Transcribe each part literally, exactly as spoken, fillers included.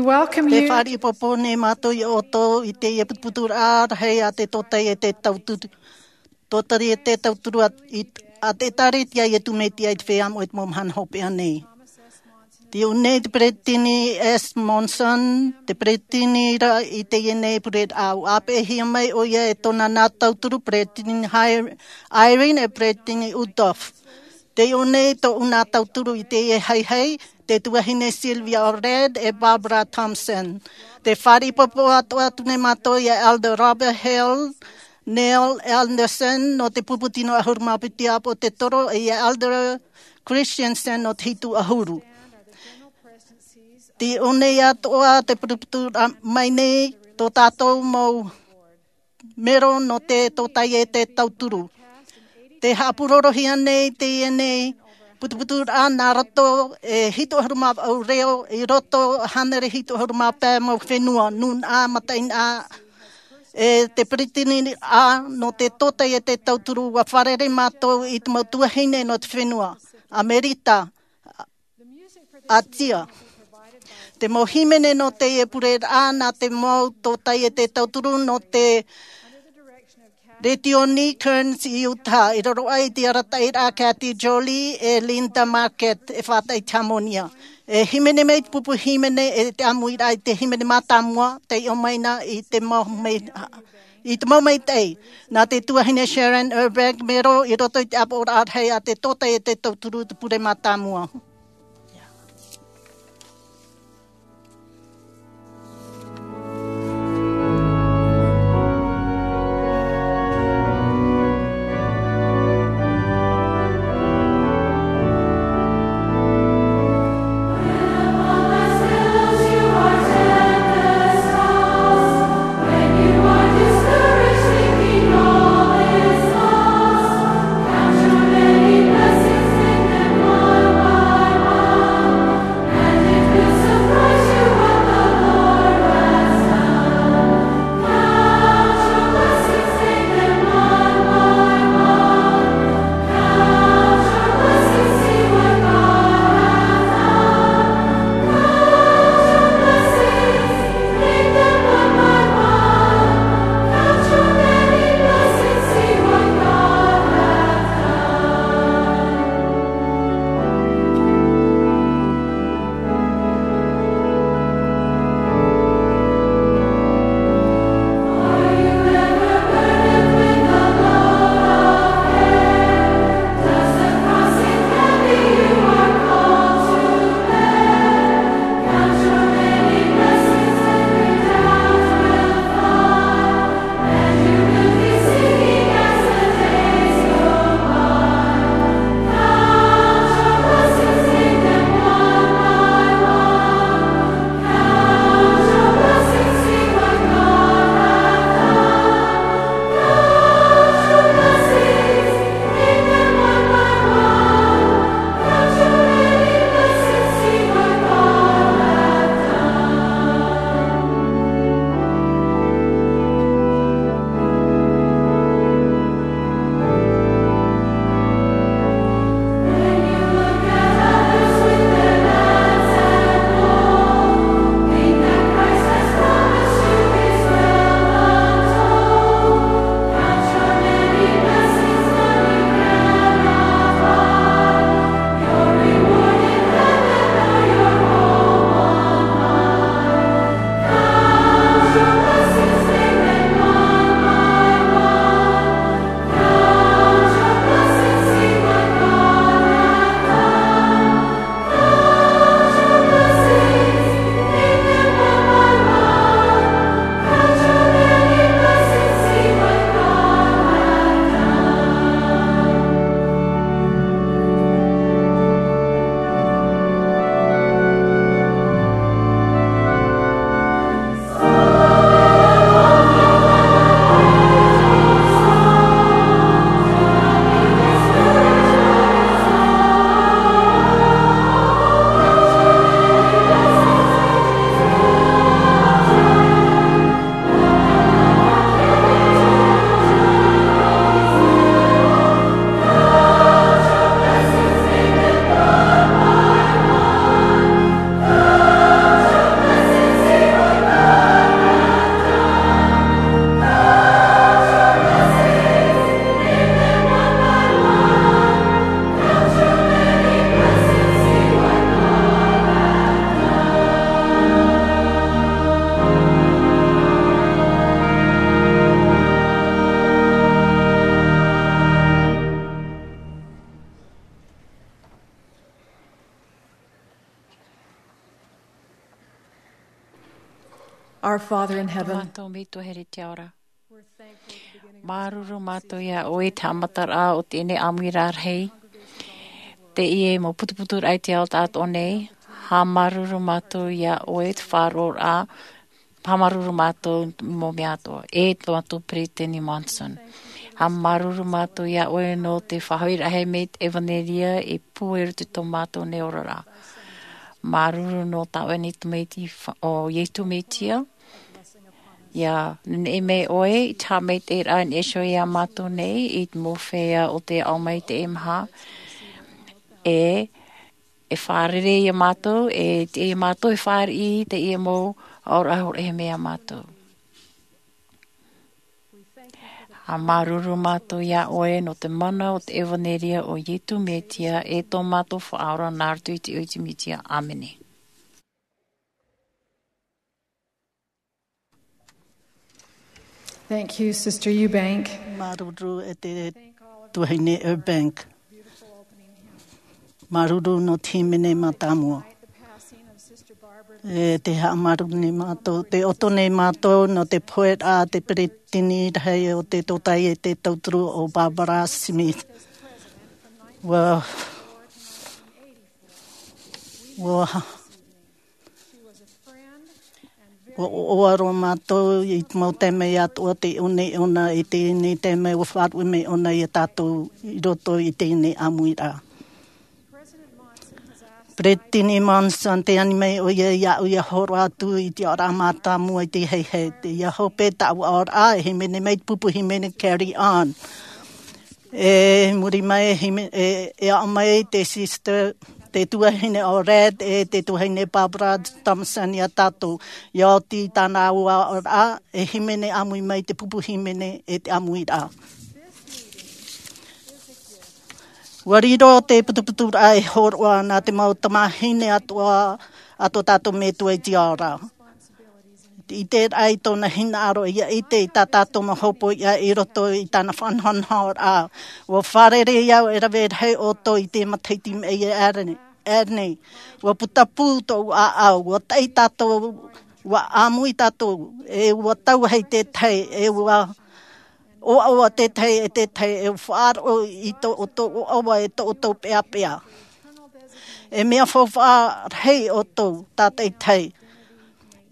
Welcome you. Te fāriʻi popo nei mātou ia ʻoutou i teie putuputuraʻa rahi a te tōtaiete tauturu. Tōtaiete tauturu a, i, a te ʻĒtārētia Iesu Mesia i te feiā moʻa i te mau mahana hopeʻa nei. Tei ʻō nei te peresideni S. Monson, te peresideni ra i teie nei pureraʻa, ʻua ʻāpeʻehia mai ʻoia e tōna nā tauturu peresideni Hy-, Eyring e peresideni Uchtdorf. Tei ʻō nei tōʻu nā tauturu i teie haihai, te tuahine Sylvia Allred e Barbara Thompson. Te fāriʻi popo atu, atu nei mātou ia Elder Robert Hale, Neil Andersen nō te pupu tino ʻahuru mā piti ʻāpōsetolo, e ia Elder Christensen nō te hitu ʻahuru. Tei ʻō nei atoʻa te putuputuraʻa mai nei tō tātou mau mero nō te tōtaiete tauturu. Tē haʻapurorohia nei teie nei putuputuraʻa nā roto e hitu ʻahuru mā vaʻu reo, i roto hānere hitu ʻahuru mā pae mau fenua, nūnaʻa, mataʻeinaʻa, e te peresideni nō te tōtaiete tauturu, ʻua fārerei mātou i te mau tuahine nō te fenua, Amerika, ʻĀtia. Te mau hīmene nō teie pureraʻa nā te mau tōtaiete tauturu nō te Retioni Kearns i Utah, i raro aʻe i te arataʻiraʻa a Kathy Jolie e Linda Marquette e faʻataʻa i te hāmōnia. E hīmene mai te pupu hīmene e te ʻāmuiraʻa i te hīmene mātāmua, tei ʻō mai na i te mau mai, i te mau maitaʻi. Nā te tuahine Sharon Urbeck, mero i roto i te ʻāpoʻoraʻa rahi a te tōtaiete tauturu te pure mātāmua. Our Father in heaven, mātou Metua here i te ao ra. Māuruuru mātou iā ʻoe i te haʻamataraʻa o teie nei ʻāmuiraʻa rahi. Teie mau putuputuraʻa i te ao tāʻatoʻa nei. Haʻamāuruuru mātou iā ʻoe i te faʻaroʻoraʻa. Haʻamāuruuru mātou i te mau mea atoʻa. E tō mātou Peresideni Monson. Haʻamāuruuru mātou iā ʻoe nō te faʻahoʻiraʻa mai i te ʻevanelia e pū i roto i tō mātou nei oraraʻa. Māuruuru nō tā ʻoe nei tamaiti fa-, ʻo Iesu Mesia. ʻIa nehenehe mai ʻoe i te haʻamaitaʻiraʻa i niʻa iho iā mātou nei i te mau feiā o te ao mai i teie mahana. E, e fārerei iā mātou, e te iā mātou e fāriʻi i teie mau aʻoraʻa e hōroʻahia mai iā mātou. Haʻamāuruuru mātou iā ʻoe nō te mana o te ʻevanelia o Iesu Mesia e tō mātou Faʻaora nā roto i te iʻoa o Iesu Mesia. ʻĀmene. Thank you, Sister Eubank. Māuruuru e te tuahine Eubank. Māuruuru nō te hīmene mātāmua. E te haʻamāuruuru nei mātou, tē ʻoto nei mātou nō te poheraʻa a te peresideni rahi o te tōtaiete tauturu ʻo Barbara Smith. ʻUa, ʻua ʻUa ʻoaʻoa roa mātou i te mau taime atoʻa tei ʻō nei ʻōna i teie nei taime ʻua faʻaruʻe mai ʻōna iā tātou i roto i teie nei ʻāmuiraʻa. Peresideni Monson, tē ani mai ʻoia iāʻu ʻia hōroʻa atu i te aʻoraʻa mātāmua i te hehete. ʻIa hope taua aʻoraʻa, e hīmene mai te pupu hīmene Carry On. E muri mai, e hime-, e, e aʻo mai te sister, te tuahine ʻo Red, e te tuahine Barbara Thompson iā tātou. ʻIa oti tā rāua aʻoraʻa, e hīmene ʻāmui mai te pupu hīmene, e te ʻāmuiraʻa. ʻUa riro te putuputuraʻa e hōroʻa nā te mau tamāhine atoʻa, a tō tātou Metua i te ao ra. ʻIte rā i tōna hinaʻaro ʻia ʻite i tā tātou mau hopoiʻa i roto i tāna faʻanahonahoraʻa. ʻUa fārerei au e rave rahi ʻoutou i te matahiti i maʻiri aʻe nei. ʻUa putapū tōʻu ʻāʻau, ʻua taʻi tātou, ʻua ʻāmui tātou, e ʻua tauahi te tahi, e ʻua ʻoaʻoa te tahi e te tahi, e faʻaroʻo i tō ʻoutou ʻoaʻoa e tō ʻoutou peʻapeʻa. E mea faufaʻa rahi ʻoutou tātaʻitahi.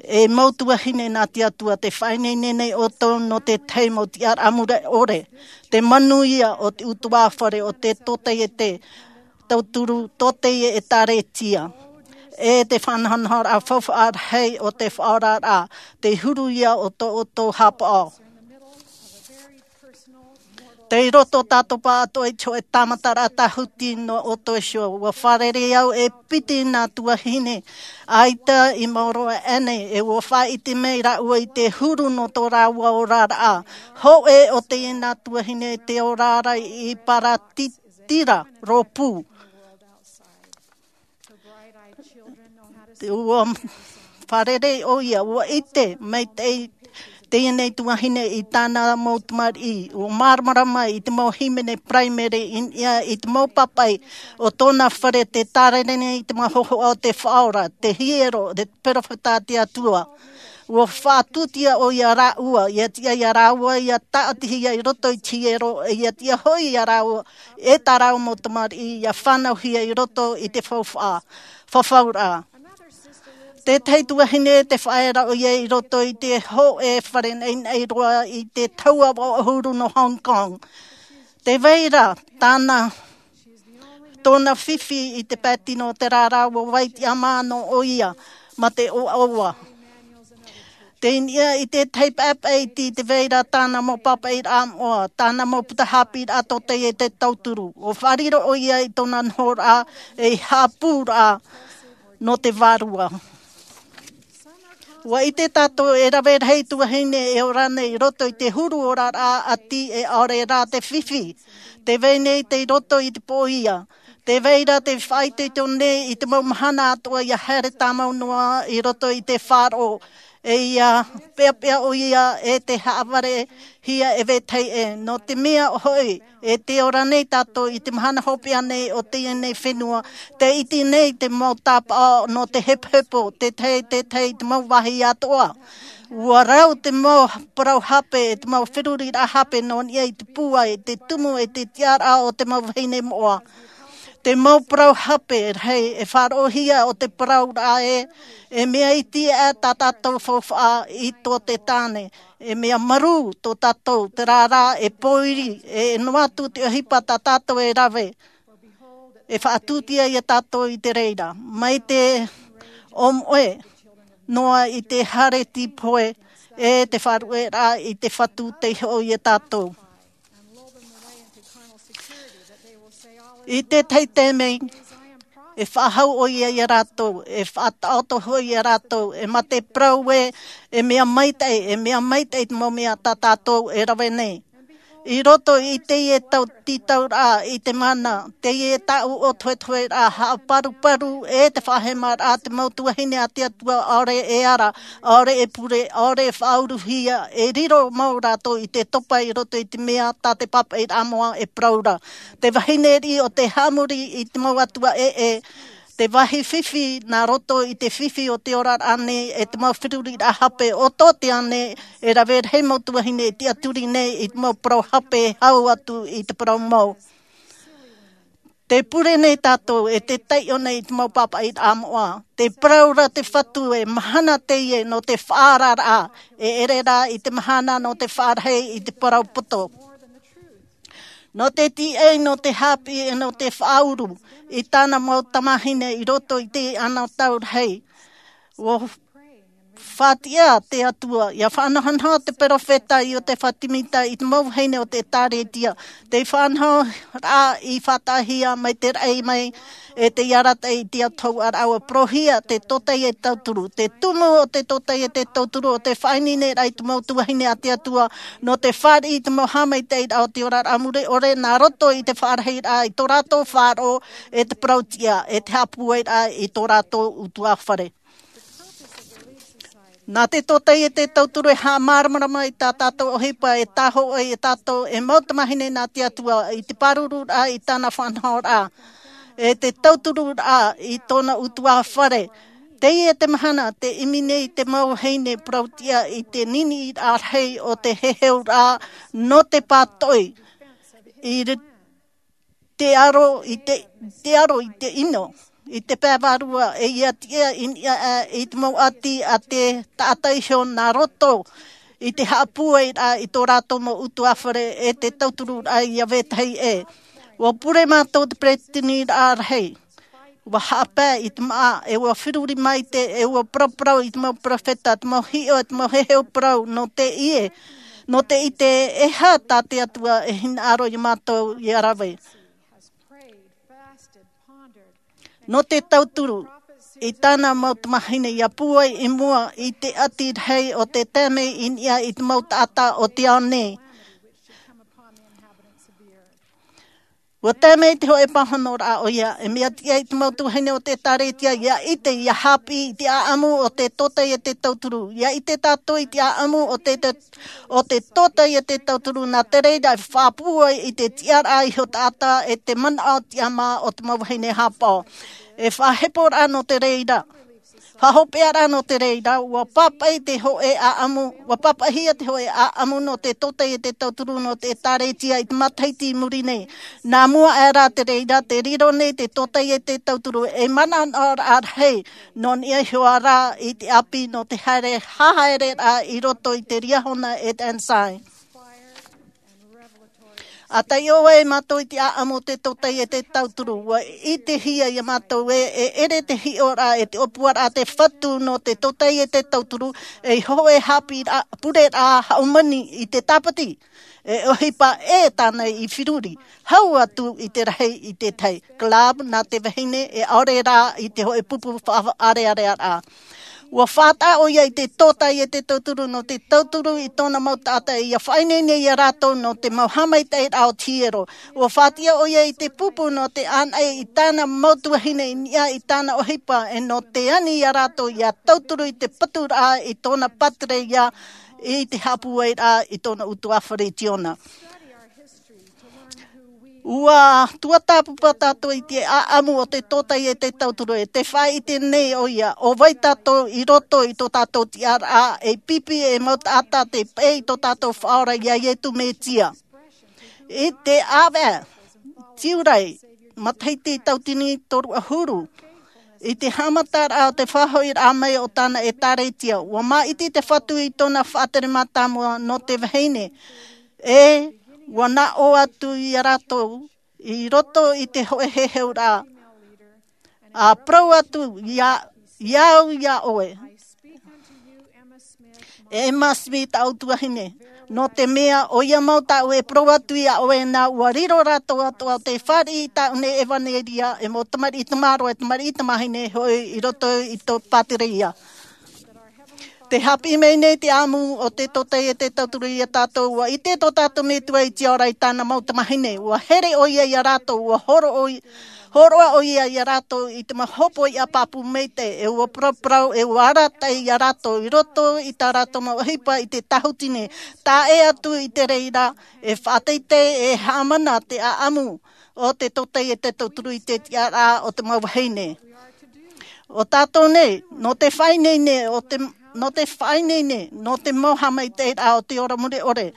E mau tuahine nā te Atua, tē faʻaineine nei ʻoutou nō te tahi mau tiʻaraʻa mure ʻore. Te manuia o te ʻutuāfare, o te tōtaiete tauturu, tōtaiete ʻĒkālesia. E te faʻanahonahoraʻa faufaʻa rahi o te faʻaoraraʻa, te huru ia o tō ʻoutou haʻapaʻo. Tei roto tātou pāʻatoʻa i te hōʻē tāmataraʻa tāhuti nō ʻoutou iho. ʻUa fārerei au e piti nā tuahine ʻaita i maoro aʻe nei, e ʻua faʻaʻite mai rāua i te huru nō tō rāua oraraʻa. Hōʻē o teie nā tuahine tē ora ra i Paratitira, rōpū. ʻUa fārerei ʻoia, ʻua ʻite maitaʻi teie nei tuahine i tāna mau tamariʻi, ʻua māramarama i te mau hīmene paraimere i niʻa i te mau pāpaʻi o tōna fare, tē tārere nei i te mau hōhoʻa o te Faʻaora, te hiero, te perofeta a te Atua. ʻUa faʻatūtia ʻoia rāua, ʻia tiʻa ia rāua ʻia tāʻatihia i roto i te hiero, ʻia tiʻa hoʻi ia rāua, e tā rāua mau tamariʻi, ʻia fānauhia i roto i te faufaʻa, fafauraʻa. Te tahi tuahine tē faʻaea ra ʻoia i roto i te hōʻē fare naʻinaʻi roa i te taua vaʻa ʻahuru nō Hong Kong. Tē vai ra tāna, tōna fifi i te pae tino o te rārā, ʻua vai tiʻamā noa ʻoia mā te ʻoaʻoa. Tei niʻa i te tahi paepae iti, tē vai ra tāna mau pāpaʻiraʻa moʻa, tāna mau puta hāpiʻiraʻa tōtaiete tauturu. ʻUa faʻariro ʻoia i tōna nohoraʻa ei haʻapūraʻa nō te Vārua. ʻUa ʻite tātou e rave rahi tuahine e ora nei i roto i te huru oraraʻa ʻati, e ʻaore rā te fifi. Tē vai nei tei roto i te pōʻia. Tē vai ra tē faʻaitoito nei i te mau mahana atoʻa ʻia haere tāmau noa i roto i te faʻaroʻo. E ʻia peʻapeʻa ʻoia e tē haʻavarehia e vetahi ʻē. Nō te mea hoʻi, e tē ora nei tātou i te mahana hopeʻa nei o teie nei fenua, tē iti nei te mau tāpaʻo nō te hepohepo, te tahi, te tahi, te mau vāhi atoʻa. Ua rau te mau parau hape, e te mau feruriraʻa hape nō niʻa i te pūai, te tumu, e te tiʻaraʻa o te mau vahine moʻa. Te mau parau hape rahi e faʻaroʻohia o te parauraʻa ē, e mea iti aʻe tā tātou faufaʻa i tō te tāne. E mea marū tō tātou, terā rā e pōiri, e noa atu te ʻohipa tā tātou e rave. E faʻatūtia ia tātou i te reira. Mai te ʻōmoʻe noa i te hāreti pohe, e te faʻaruʻeraʻa i te Fatu tei hoʻo ia tātou. I te tahi taime, e faʻahou ʻoia ia rātou, e faʻataʻoto hoʻi ia rātou, e mā te parau ē, e mea maitaʻi, e mea maitaʻi te mau mea tā tātou e rave nei. I roto i teie tau tītauraʻa i te mana, teie tāʻu ʻōtohetoheraʻa, haʻaparuparu e te faʻahemaraʻa, te mau tuahine a te Atua, ʻaore e ara, ʻaore e pure, ʻaore e faʻauruhia, e riro mau rātou i te topa i roto i te mea tā te pāpaʻiraʻa moʻa e parau ra. Te vahine riʻi o te haʻamori i te mau atua ʻē, te vāhi fifi nā roto i te fifi o te oraraʻa nei, e te mau feruriraʻa hape o tō te ʻānei, e rave rahi mau tuahine e tiʻaturi nei i te mau parau hape e hau atu i te parau mau. Te pure nei tātou, e te taiʻo nei i te mau pāpaʻiraʻa moʻa. Te parau ra te Fatu ē, mahana teie nō te faʻaararaʻa, e ʻere rā i te mahana nō te faʻarahi i te parau poto. Nō te tīaʻi, nō te haʻapiʻi, e nō te faʻauru i tāna mau tamāhine i roto i te anotau rahi. Ua faʻatiʻa te Atua, ʻia faʻanahonaho te perofeta Iotefa Timita i te mau vahine o te ʻĒtārētia. Te faʻanahoraʻa i faʻataʻahia mai te raʻi mai, e tei arataʻi i te autahuʻaraʻa, ʻua parauhia te tōtaiete tauturu. Te tumu o te tōtaiete tauturu, ʻo te faʻaineineraʻa i te mau tuahine a te Atua, nō te fāriʻi i te mau haʻamaitaʻiraʻa o te oraraʻa mure ʻore, nā roto i te faʻarahiraʻa i tō rātou faʻaroʻo, e te parau tiʻa, e te haʻapūairaʻa i tō rātou ʻutuāfare. Nā te tōtaiete tauturu e haʻamāramarama i tā tātou ʻohipa, e tāhōʻē ia tātou, e mau tamāhine nā te Atua, i te pārururaʻa i tāna faʻanahoraʻa, e te tautururaʻa i tōna ʻutuāfare. Teie te mahana, tē ʻimi nei te mau vahine parau tiʻa i te niniʻiraʻa rahi o te heheuraʻa nō te pātoʻi. I re-, te aro i te, te aro i te ʻino, i te pae vārua, e ʻia tiʻa i niʻa aʻe i te mau ʻati a te taʻata iho nā roto i te haʻapūairaʻa i tō rātou mau ʻutuāfare, e te tautururaʻa ʻia vetahi ʻē. ʻUa pure mātou te peresideniraʻa rahi. ʻUa haʻapae i te māʻa, e ʻua feruri maite, e ʻua paraparau i te mau perofeta, te mau hiʻo, e te mau heheu parau, nō te ʻite, nō te ʻite e aha tā te Atua e hinaʻaro ia mātou ʻia rave. Nō te tauturu i tāna mau tamāhine ʻia pūai i mua i te ʻati rahi o te taime i niʻa i te mau taʻata o te ao nei. ʻUa tae mai te hōʻē pāhonoraʻa ʻoia, e mea tiʻa i te mau tuahine o te ʻĒtārētia ʻia ʻite, ʻia haʻapiʻi i te ʻāʻamu o te tōtaiete tauturu. ʻIa ʻite tātou i te ʻāʻamu o te, te, o te tōtaiete tauturu, nā te reira e faʻapūai i te tiʻaraʻa iho taʻata, e te manaʻo tiʻamā o te mau vahine haʻapaʻo. E faʻaheporaʻa nō te reira. Faʻahopeʻaraʻa nō te reira, ʻua pāpaʻi te hōʻē ʻāʻamu, ʻua pāpaʻihia te hōʻē ʻāʻamu nō te tōtaiete tauturu nō te ʻĒtārētia i te matahiti i muri nei. Nā mua aʻe rā te reira, tē riro nei te tōtaiete tauturu ei manaʻoraʻa rahi, nō niʻa iho ā rā i te ʻāpī nō te haere, hahaereraʻa i roto i te Liahona e te Ensign. ʻA taiʻo ai mātou i te ʻāʻamu o te tōtaiete tauturu, ʻua ʻitehia ia mātou ē, e ʻere te hiʻoraʻa, e te ʻōpuaraʻa a te Fatu nō te tōtaiete tauturu, ei hōʻē haʻapiʻiraʻa, pureraʻa haumani i te tāpati, e ʻohipa ʻē tāna i feruri, hau atu i te rahi i te tahi club nā te vahine, e ʻaore rā i te hōʻē pupu faʻaʻareʻarearaʻa. ʻUa faʻataʻa ʻoia i te tōtaiete tauturu nō te tauturu i tōna mau taʻata, ʻia faʻaineine ia rātou nō te mau haʻamaitaʻiraʻa o te hiero. ʻUa faʻatiʻa ʻoia i te pupu nō te ʻānaʻi i tāna mau tuahine i niʻa i tāna ʻohipa, e nō te ani ia rātou ʻia tauturu i te paturaʻa i tōna pātireia, i te haʻapūairaʻa i tōna ʻutuāfare i Ziona. Ua tuatāpapa tātou i te ʻaʻamu o te tōtaiete tauturu, e te faʻaʻite nei ʻoia, ʻo vai tātou i roto i tō tātou tiʻaraʻa, e pipi, e mau taʻata te peʻe i tō tātou Faʻaora iā Iesu Mesia. I te ʻāvaʻe, Tiurai, matahiti tauatini toru ʻahuru, i te haʻamataraʻa o te faʻahoʻiraʻa mai o tāna ʻĒtārētia, ua māʻiti te Fatu i tōna faʻatere mātāmua nō te vahine, e ua naʻo atu ia rātou i roto i te hōʻē heheuraʻa, ʻa parau atu ia, ia au ia ʻoe, Emma Smith, tāʻu tuahine, nō te mea ʻoia mau tāʻu e parau atu ia ʻoe, nā ʻua riro rātou atoʻa te fāriʻi i tāʻu nei ʻevanelia, e mau tamariʻi tamaroa, e tamariʻi tamāhine hoʻi i roto i tō Pātereia. Te haʻapiʻi mai nei te ʻaʻamu o te tōtaiete tauturu iā tātou, ua ʻite tō tātou Metua i te ora i tāna mau tamāhine, ua here ʻoia iā rātou, ua hōroʻa ʻoia, hōroʻa ʻoia iā rātou i te mau hōpoiʻa pāpū maitaʻi, e ua paraparau, e ua arataʻi iā rātou i roto i tā rātou mau ʻohipa i te tāhutini, tae atu i te reira, e faʻateitei, e haʻamana te ʻaʻamu o te tōtaiete tauturu i te tiʻaraʻa o te mau vahine. ʻO tātou nei, nō te faʻaineine, ʻo te, nō te faʻaineine, nō te mau haʻamaitaʻiraʻa o te ora mure ʻore,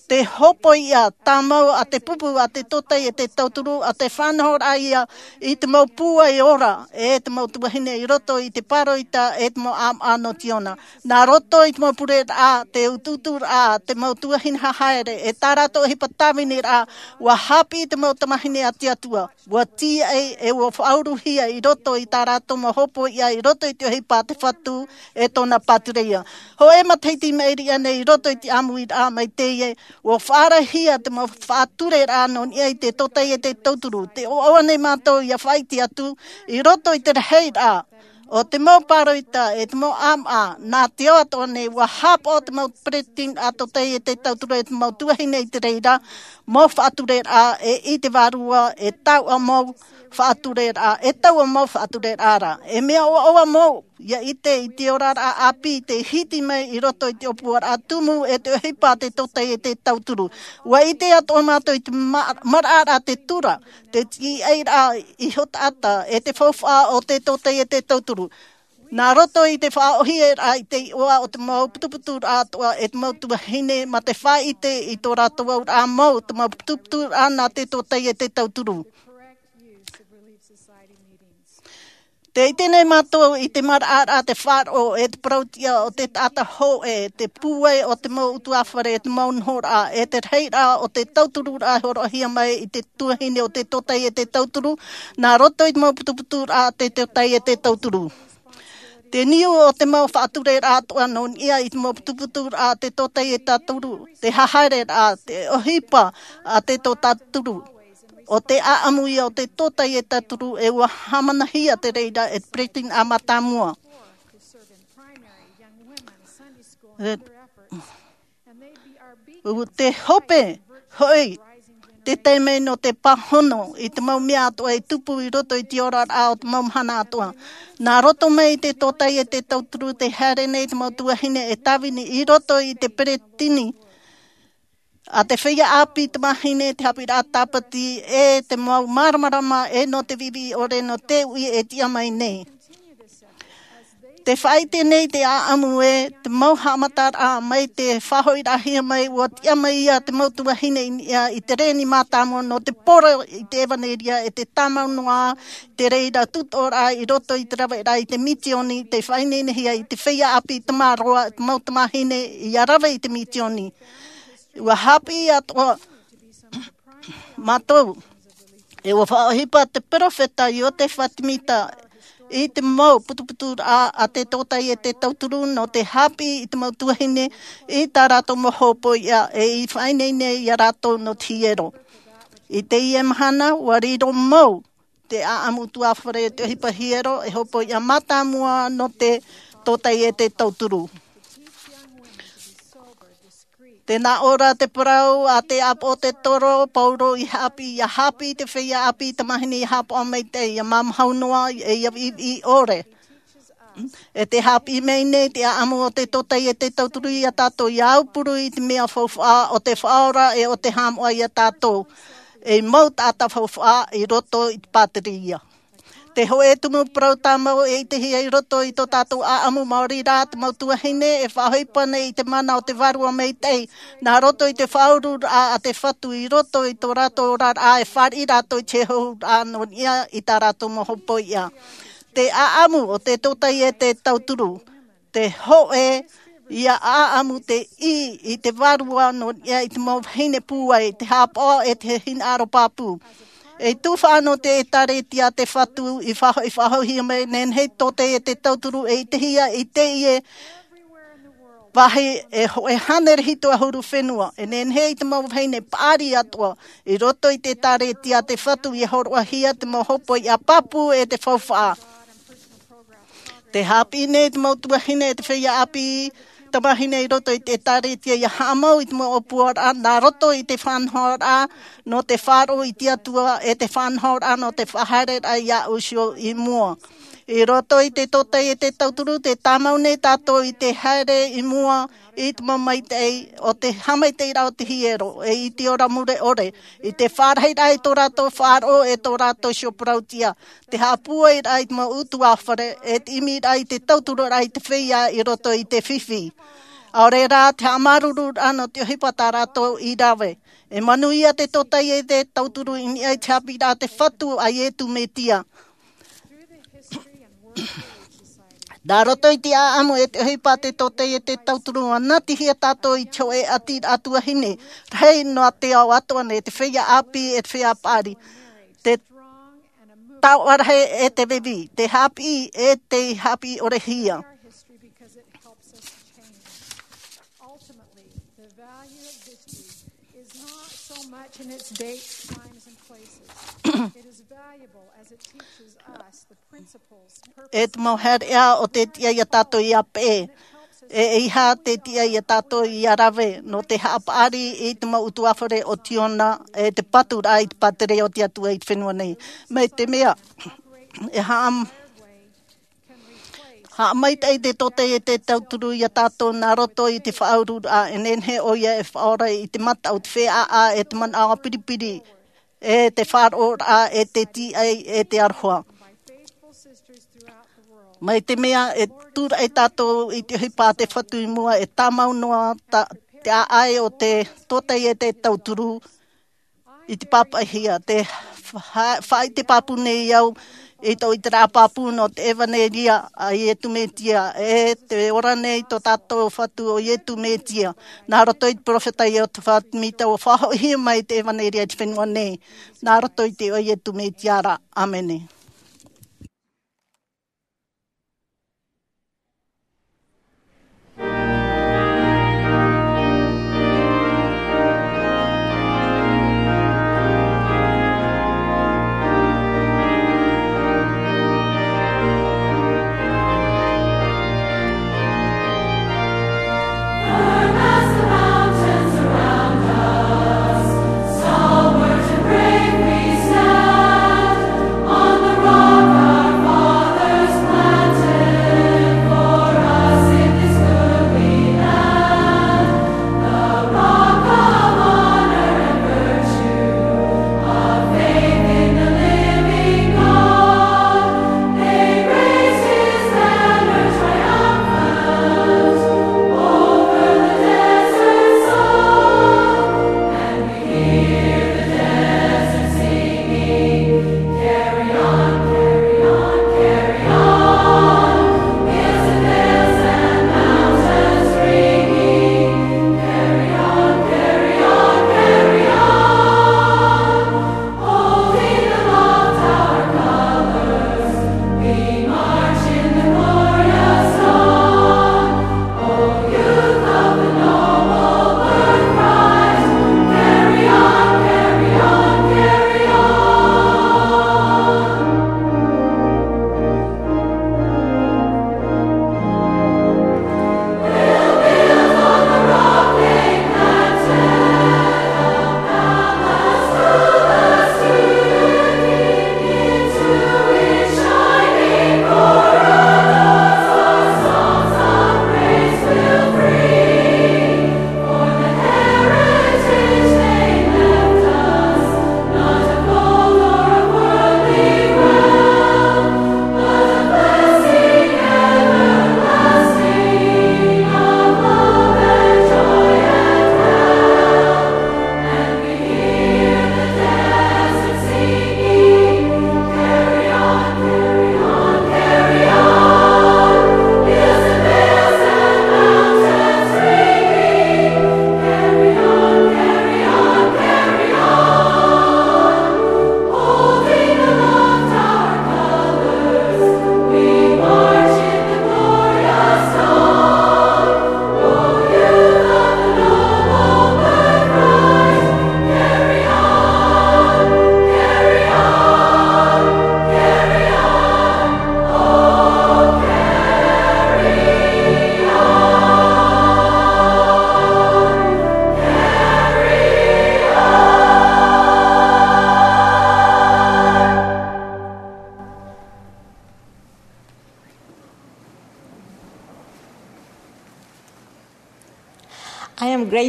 te hōpoiʻa tāmau a te pupu a te tōtaiete tauturu, a te faʻanahoraʻa ia i te mau pūai ora, e te mau tuahine i roto i te pāroita, e te mau ʻāmaʻa nō Tiona. Nā roto i te mau pureraʻa, te utuuturaʻa, te mau tuahine hahaere, e tā rātou ʻohipa tāviniraʻa, ua haʻapiʻi te mau tamāhine a te Atua, ua tīaʻi, e ua faʻauruhia i roto i tā rātou mau hōpoiʻa, i roto i te ʻohipa a te Fatu, e tōna Pātereia. Hōʻē matahiti i maʻiri aʻe nei i roto i te ʻāmuiraʻa mai teie, ua faʻaarahia te mau faʻatureraʻa nō niʻa i te tōtaiete tauturu. Tē ʻoaʻoa nei mātou ʻia faʻaʻite atu, i roto i te rahiraʻa o te mau pāroita, e te mau ʻāmaʻa, nā te ao atoʻa nei, ua haʻapaʻo te mau peresideni a tōtaiete tauturu, e te mau tuahine i te reira, mau faʻatureraʻa, e i te vārua, e taua mau faʻatureraʻa, e taua mau faʻatureraʻa ra. E mea ʻoaʻoa mau ʻia ʻite i te oraraʻa ʻāpī tei hiti mai i roto i te ʻōpuaraʻa tumu, e te ʻohipa a te tōtaiete tauturu. Ua ʻite atoʻa mātou i te ma-, maraʻaraʻa te tura, te tīaʻiraʻa iho taʻata, e te faufaʻa o te tōtaiete tauturu. Nā roto i te faʻaʻohiparaʻa i te iʻoa o te mau putuputuraʻa atoʻa, e te mau tuahine, mā te faʻaʻite i tō rātou auraʻa mau, te mau putuputuraʻa nā te tōtaiete tauturu. Tē ʻite nei mātou i te maraʻaraʻa, te faʻaroʻo, e te parautiʻa o te taʻata hōʻē, te pūai o te mau ʻutuāfare, e te mau nohoraʻa, e te rahiraʻa o te tautururaʻa e hōroʻahia mai i te tuahine o te tōtaiete tauturu, nā roto i te mau putuputuraʻa a te tōtaiete tauturu. Te niu o te mau faʻatureraʻa atoʻa nō niʻa i te mau putuputuraʻa a te tōtaiete tauturu, te hahaereraʻa, te ʻohipa a te tōtaiete tauturu. ʻO te ʻaʻamu ia o te tōtaiete tauturu, e ua haʻamanahia te reira e te peresideni mātāmua. E, ʻo te hope hoʻi, te taime nō te pāhono i te mau mea atoʻa e tupu i roto i te oraraʻa o te mau mahana atoʻa. Nā roto mai i te tōtaiete tauturu, tē haere nei te mau tuahine e tāvini i roto i te peresideni a te feiā ʻāpī tamāhine, te haʻapiʻiraʻa tāpati, e te mau māramarama, e nō te viʻiviʻi ʻore nō te uʻi e tiʻa mai nei. Tē faʻaʻite nei te ʻaʻamu ē, te mau haʻamataraʻa mai te faʻahoʻiraʻahia mai, ua tiʻa mai ia te mau tuahine i niʻa i te reni mātāmua nō te poro i te ʻevanelia, e te tāmau noa te reira tūtoʻoraʻa i roto i te raveraʻa i te misioni, tē faʻaineinehia i te feiā ʻāpī tamaroa, te mau tamāhine ʻia rave i te misioni. Ua haʻapiʻi atoʻa mātou, e ua faʻaʻohipa te peropheta Iosefa Sāmita i te mau putuputuraʻa a te tōtaiete tauturu nō te haʻapiʻi i te mau tuahine i tā rātou mau hōpoiʻa, e i faʻaineine ia rātou nō te hiero. I teie mahana, ua riro mau te ʻaʻamu ʻutuāfare, te ʻohipa hiero, e hōpoiʻa mātāmua nō te tōtaiete tauturu. Tē nā ʻō ra te parau a te ʻāpoʻo-toro, Paulo, ʻia haʻapiʻi, ʻia haʻapiʻi te feiā ʻāpī tamāhine ʻia haʻapaʻo maitaʻi, ʻia māmāhau noa, e ʻia viʻiviʻi ʻore. E tē haʻapiʻi mai nei te ʻaʻamu o te tōtaiete tauturu ia tātou ʻia aupuru i te mea faufaʻa o te Faʻaora e o te haʻamoʻa ia tātou. e mau taʻata faufaʻa i roto i te pāteria. Te hōʻē tumu parau tāmau e ʻitehia i roto i tō tātou ʻāʻamu maori rā te mau tuahine e faʻahoʻi pane i te mana o te vārua maitaʻi nā roto i te faʻaururaʻa a te fatu i roto i tō rātou oraraʻa e fāriʻi rātou i te hōʻē nō niʻa i tā rātou mau hopoiʻa. Te ʻāʻamu o te tōtai e te tauturu, te hōʻē ia ʻāʻamu te ʻī i te vārua nō niʻa i te mau vahine pūai te hāpaʻo e te hinaʻaro pāpū. E tufaʻa nō te ʻētāretia te fatu i faʻahoʻi faʻahoʻihia mai nehenehe tōtai e te tauturu e ʻitehia i teie vāhi e hōʻē hānere hitu ʻahuru fenua e nehenehe i te mau vahine paʻari atoʻa i roto i te ʻētāretia te fatu ia hōroʻahia te mau hopoiʻa pāpū e te faufaʻa. Te haʻapiʻi nei te mau tuahine e te feiā ʻāpī tamahine i roto i te ʻētāretia ia haʻamau i te mau ʻōpuaraʻa nā roto i te faʻanahoraʻa nō te faʻaroʻo i te atua e te faʻanahoraʻa nō te faʻahaereraʻa iā ʻōsio i mua. I roto i te tōtai e te tauturu te tāmau nei tātou i te haere i mua i te mau maitaʻi o te haʻamaitaʻiraʻa o te hiero e i te ora mure ʻore i te faʻarahiraʻa i tō rātou faʻaroʻo e tō rātou sioparautia te haʻapūairaʻa i te mau utuāfare e te ʻimiraʻa i te tauturuʻraʻa i te feiā i roto i te fifi. ʻAore rā te haʻamāuruururaʻa nō te ʻohipa tā rātou i rave. E manuia te tōtai e te tauturu i niʻa i te haʻapiʻiraʻa te fatu a iesu mesia. Nā roto i te ʻāʻamu e te ʻohipa te tōtai e te tauturu ua natihia tātou i te hōʻē ʻati ʻa tuahine rahi noa te ao atoʻa nei te feiā ʻāpī e te feiā paʻari, te taoʻa rahi e te vevi te haʻapiʻi e te haʻapiʻi ʻore hia. Ultimately, the value of history is not so much in its dates, times, and places. It is valuable as it teaches us the principles, e te mau haereʻa o te tiʻa iā tātou ia peʻe e eiaha te tiʻa iā tātou ia rave nō te haʻapaʻari i te mau utuāfare o tiona e te paturaʻa i te pāteria o te atua i te fenua nei. Mai te mea e haʻam haʻamaitaʻi te tōtai e te tauturu iā tātou nā roto i te faʻaururaʻa e nehenehe ʻoia e faʻaora i te mata o te feiā e te manaʻo piripiri e te faʻaroʻoraʻa e te tiʻai e te aroha. Mai te mea e tūraʻi tātou i te ʻohipa a te fatu i mua e tāmau noa te ʻaʻai o te tōtai e te tauturu i te pāpaʻihia te faʻaite pāpū nei au i tō ʻiteraʻa pāpū nō te ʻevanelia a iesu mesia e te ora nei tō tātou fatu o iesu mesia. Nā roto i te peropheta iosepha semita ua faʻahoʻihia mai te ʻevanelia i te fenua nei nā roto i te iʻoa o iesu mesia ra. ʻĀmene.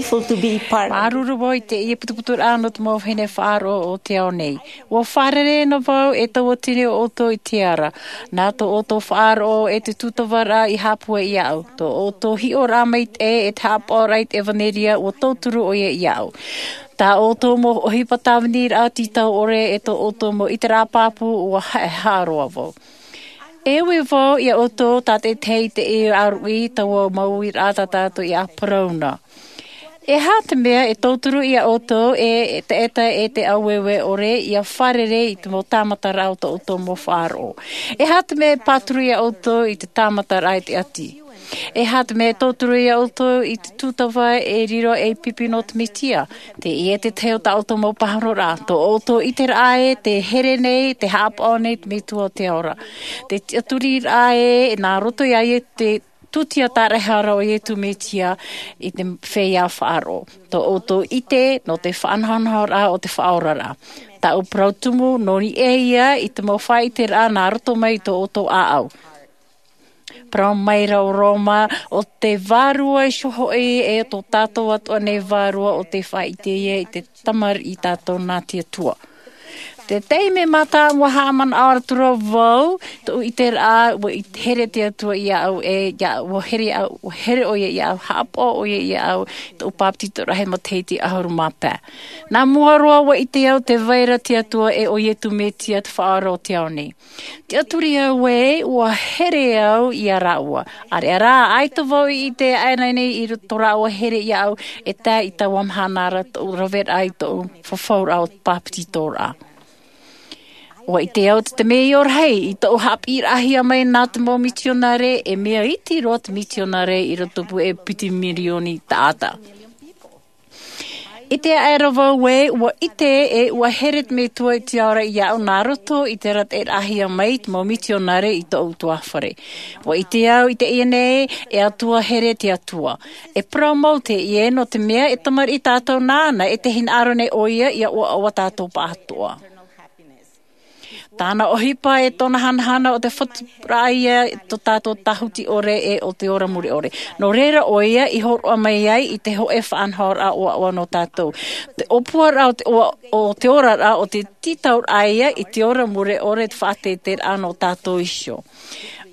Māuruuru vau i teie putuputuraʻa nō te mau vahine faʻaroʻo o te ao nei. Ua fārerei ana vau e tautini ʻoutou i te ara. Nā tō ʻoutou faʻaroʻo e te tūtavaraʻa i hāpū iāʻu. Tō ʻoutou hiʻoraʻa maitaʻi e te haʻapaʻoraʻa i te ʻevanelia ua tauturu ʻoia iāʻu. Tā ʻoutou mau ʻohipa tāviniraʻa tītau ʻore e tō ʻoutou mau ʻiteraʻa pāpū ua haʻehaʻa roa vau. E ui vau iā ʻoutou tātaʻitahi i te ʻāruʻi taua mau uiraʻa tā tātou i ʻāparauna. E aha te mea e tauturu iā ʻoutou e taʻata e te ʻāueue ʻore ia fārerei i te mau tāmataraʻa o tō ʻoutou mau faʻaroʻo? E aha te mea e pāturu iā ʻoutou i te tāmataraʻa i te ʻati? E aha te mea e tauturu iā ʻoutou i te tūtava e riro ei pipi nō te mesia? Teie te tahi o tā ʻoutou mau pāhonoraʻa. Tō ʻoutou ʻiteraʻa ē te here nei te haʻapaʻo nei te metua o te ao ra. Te tiʻaturiraʻa ē nā roto iā iesu te tūtia tāraehara o iesu mesia i te feiā faʻaroʻo. Tō ʻoutou ʻite nō te faʻanahonahoraʻa o te faʻaoraraʻa. Taʻu parau tumu nō niʻa ia i te mau faʻaʻiteraʻa nā roto mai i tō ʻoutou ʻāʻau. Parau mai rā o roma o te vārua iho hoʻi e tō tātou atoʻa nei vārua o te faʻaʻite ia i te tamariʻi tātou nā te atua. Te taime mātāmua haʻamanaʻo atu ra vau tōʻu ʻiteraʻa ua here te atua iāʻu e iāʻu ua here ʻoia iāʻu haʻapaʻo ʻoia iāʻu tōʻu pāpetitoraʻa he matahiti ʻahuru mā pae. Nā mua roa ua ʻite au te vai ra te atua e ʻo iesu mesia te faʻaora o te ao nei. Tiʻaturi au ē ua here au iā rāua. ʻAreʻa rā ʻaita vau i ʻite aʻe nei i roto rāua here iāʻu e tae i taua mahana ra tōʻu raveraʻa i tōʻu fafauraʻa o pāpetitoraʻa. Ua ʻite au te mea ʻorahi i tōʻu haʻapiʻiraʻahia mai nā te mau mitionare e mea iti roa te mitionare i roto pū e piti mirioni taʻata. ʻIte aʻe ra vau ē ua ʻite e ua here te metua i te ao ra iāʻu nā roto i te rātaʻiraʻahia mai i te mau mitionare i tōʻu tuāfare. Ua ʻite au i teie nei e atua here te atua. E parau mau teie nō te mea e tamariʻi tātou nāna e te hinaʻaro nei ʻoia ia ʻoaʻoa tātou pāʻatoʻa. Tāna ʻohipa e tōna hanahana o te fatu raʻa ia tō tātou tāhuti ʻore e o te ora mure ʻore. Nō reira ʻoia i hōroʻa mai ai i te hoʻe faʻanahoraʻa ʻoaʻoa nō tātou. Te ʻōpuaraʻa o te ʻoa o te oraraʻa o te tītauraʻa ia i te ora mure ʻore te faʻateitei raʻa nō tātou iho.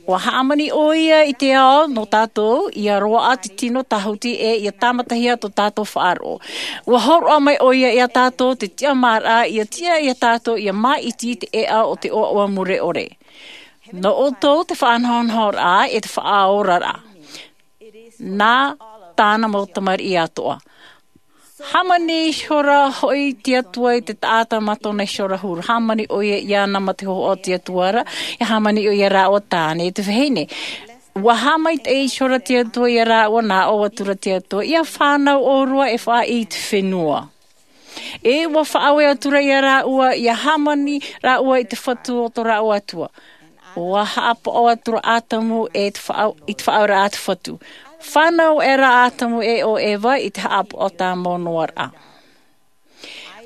Ua hāmani ʻoia i te ao nō tātou ia roaʻa te tino tāhuti e ia tāmatahia tō tātou faʻaroʻo. Ua hōroʻa mai ʻoia iā tātou te tiʻamāraʻa ia tiʻa iā tātou ia māʻiti i te ʻēʻa o te ʻoaʻoa mure ʻore. Nō ʻoutou te faʻanahonahoraʻa e te faʻaoraraʻa. Nā tāna mau tamariʻi atoʻa. Hāmani ihora hoʻi te atua i te taʻata mā tōna ihora huru hāmani ʻoia iāna mā te hōhoʻa o te atua ra. E hāmani ʻoia rāua tāne i te vahine. Ua haʻamaitaʻi ihora te atua iā rāua nā ʻō atura te atua ia fānau ʻōrua e faʻaʻī i te fenua. E ua faʻaue atura iā rāua ia hāmani rāua i te fatu o tō rāua atua. Ua haʻapaʻo atura ʻātamu e te faʻaue i te faʻaue raʻa a te fatu. Fānau ʻera ʻātamu e ʻo eva i te haʻapaʻo tāmau noa raʻa.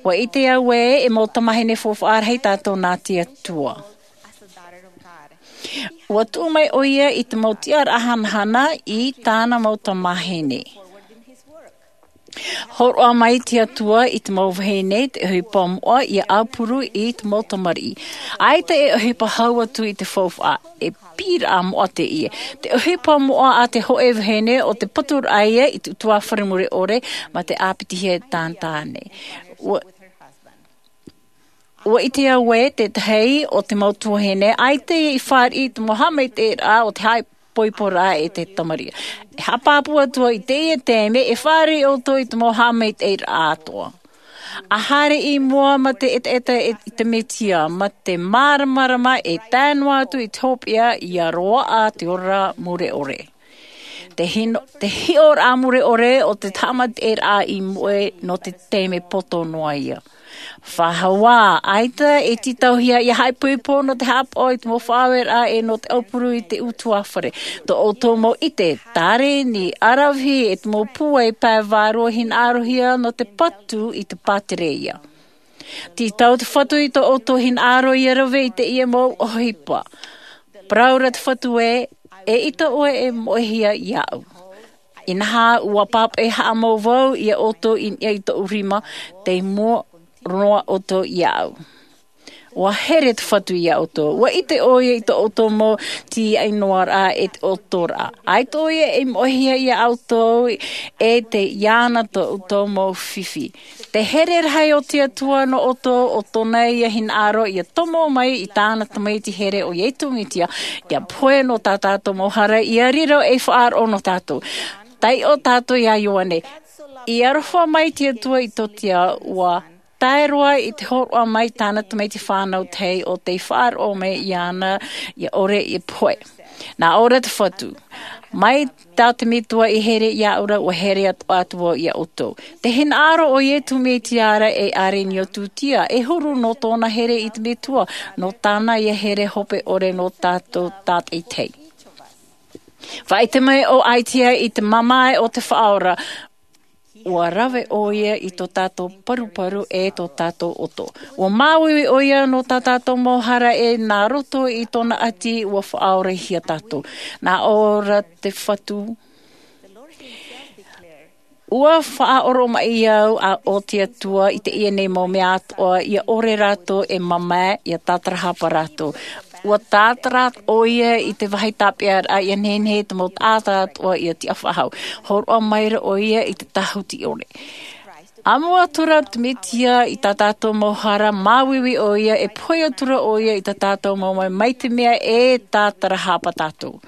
Ua ʻite au ē e mau tamahine faufaʻa rahi tātou nā te atua. Ua tuʻu mai ʻoia i te mau tiʻaraʻa hanahana i tāna mau tamahine. Hōroʻa mai te atua i te mau vahine te ʻohipa moʻa ia ʻaupuru i te mau tamariʻi. ʻAita e ʻohipa hau atu i te faufaʻa e pīraʻa moʻa teie. Te ʻohipa moʻa a te hoʻe vahine o te paturaʻa ia i te utuāfare mure ʻore mā te ʻāpitihia e tāna tāne. Ua ʻite au ē tētahi o te mau tuahine ʻaita ia i fāriʻi i te mau haʻamaitaʻiraʻa o te haʻaipoiporaʻa e te tamariʻi. E haʻapāpū atu au i teie taime e fāriʻi ʻoutou i te mau haʻamaitaʻiraʻa atoʻa. A haere i mua mā te ʻetaʻeta i te mesia mā te māramarama e tae noa atu i te hopeʻa ia roaʻa te ora mure ʻore. Te hiʻoraʻa mure ʻore o te haʻamaitaʻiraʻa i moʻe nō te taime poto noa ia. Faʻahaua ʻaita e tītauhia ia haʻaipoipo nō te haʻapaʻo i te mau faʻaueraʻa e nō te ʻaupuru i te utuāfare. Tō ʻoutou mau ʻite tāreni aravihi e te mau pūai pae vārua hinaʻarohia nō te patu i te pātereia. Tītau te fatu i tō ʻoutou hinaʻaro ia rave i teie mau ʻohipa. Parau ra te fatu ē e ʻita ʻoe e moʻehia iāʻu. Inaha ua pāpaʻi haʻamau vau ia ʻoutou i niʻa i toʻu rima, tei mua roa ʻoutou iāʻu. Ua here te Fatu iā ʻoutou. Ua ʻite ʻoia i tō ʻoutou mau tīaʻi noa rā e te ʻoto rā. ʻAita ʻoia e moʻehia iā ʻoutou e te iāna tō ʻoutou mau fifi. Te here rahi o te Atua nō ʻoutou, ʻo tōna ia hinaʻaro ia tomo mai i tāna tamaiti here ʻo Iesu Mesia, ia pohe nō tā tātou mau hara, ia riro ei faʻaroʻo nō tātou. Taiʻo tātou iā Ioane. I aroha mai te Atua i tō te ao, ua tae roa i te hōroʻa mai tāna tamaiti fānau tahi ʻo tei faʻaroʻo mai iāna ia ʻore i pohe. Nā ʻō ra te Fatu, mai tā te Metua i here iāʻu ra, ua here atu, atu vau iā ʻoutou. Te hinaʻaro o Iesu Mesia ra e ʻārenio tūtia, e huru nō tōna here i te Metua, nō tāna ia here hope ʻore nō tātou tātaʻitahi. Faʻaʻite mai ʻo Aisea i te mamae o te Faʻaora, ua rave ʻoia i tō tātou paruparu e tō tātou ʻoto. Ua māuiui ʻoia nō tā tātou mau hara e nā roto i tōna ʻati ua faʻaorahia tātou. Nā ʻō ra te Fatu, ua faʻaoromaʻi au ʻo te Atua i teie nei mau mea atoʻa, ia ʻore rātou e mamae, ia tātarahapa rātou. Ua tātara ʻoia i te vāhi tāpeʻaraʻa, ia nehenehe te mau taʻata atoʻa ia tiʻa faʻahou. Hōroʻa maira ʻoia i te tāhuti ʻore. ʻAmu atura te Mesia i tā tātou mau hara, māuiui ʻoia, e pohe atura ʻoia i tā tātou mau mamae, mai te mea e tātarahapa tātou.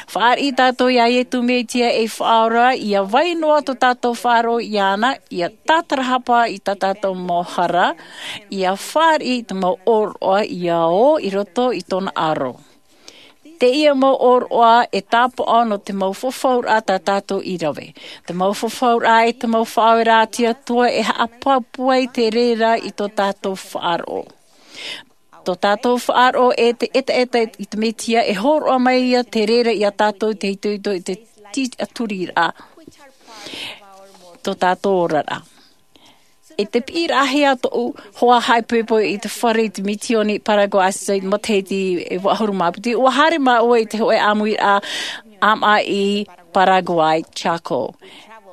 Fāriʻi tātou iā Iesu Mesia ei Faʻaora, ia vai noa tō tātou faʻaroʻo iāna, ia tātarahapa i tā tātou mau hara, ia fāriʻi i te mau ʻōroʻa ia ō i roto i tōna ʻaro. Teie mau ʻōroʻa e tāpaʻo nō te mau fafauraʻa tā tātou i rave. Te mau fafauraʻa e te mau faʻaoraraʻa a te Atua e haʻapāpū ai te reira i tō tātou faʻaroʻo. Tō tātou faʻaroʻo e te ʻetaʻeta i te Mesia, e hōroʻa mai ia te reira iā tātou i te itoito i te tiʻaturiraʻa tō tātou oraraʻa. I te piʻiraʻahia tōʻu hoa haʻaipoipo i te fare i te misiōni Paraguay i te matahiti e vaʻu ʻahuru mā piti, ua haere māua i te hōʻē ʻāmuiraʻa ʻāmaʻa i Paraguay, Chaco.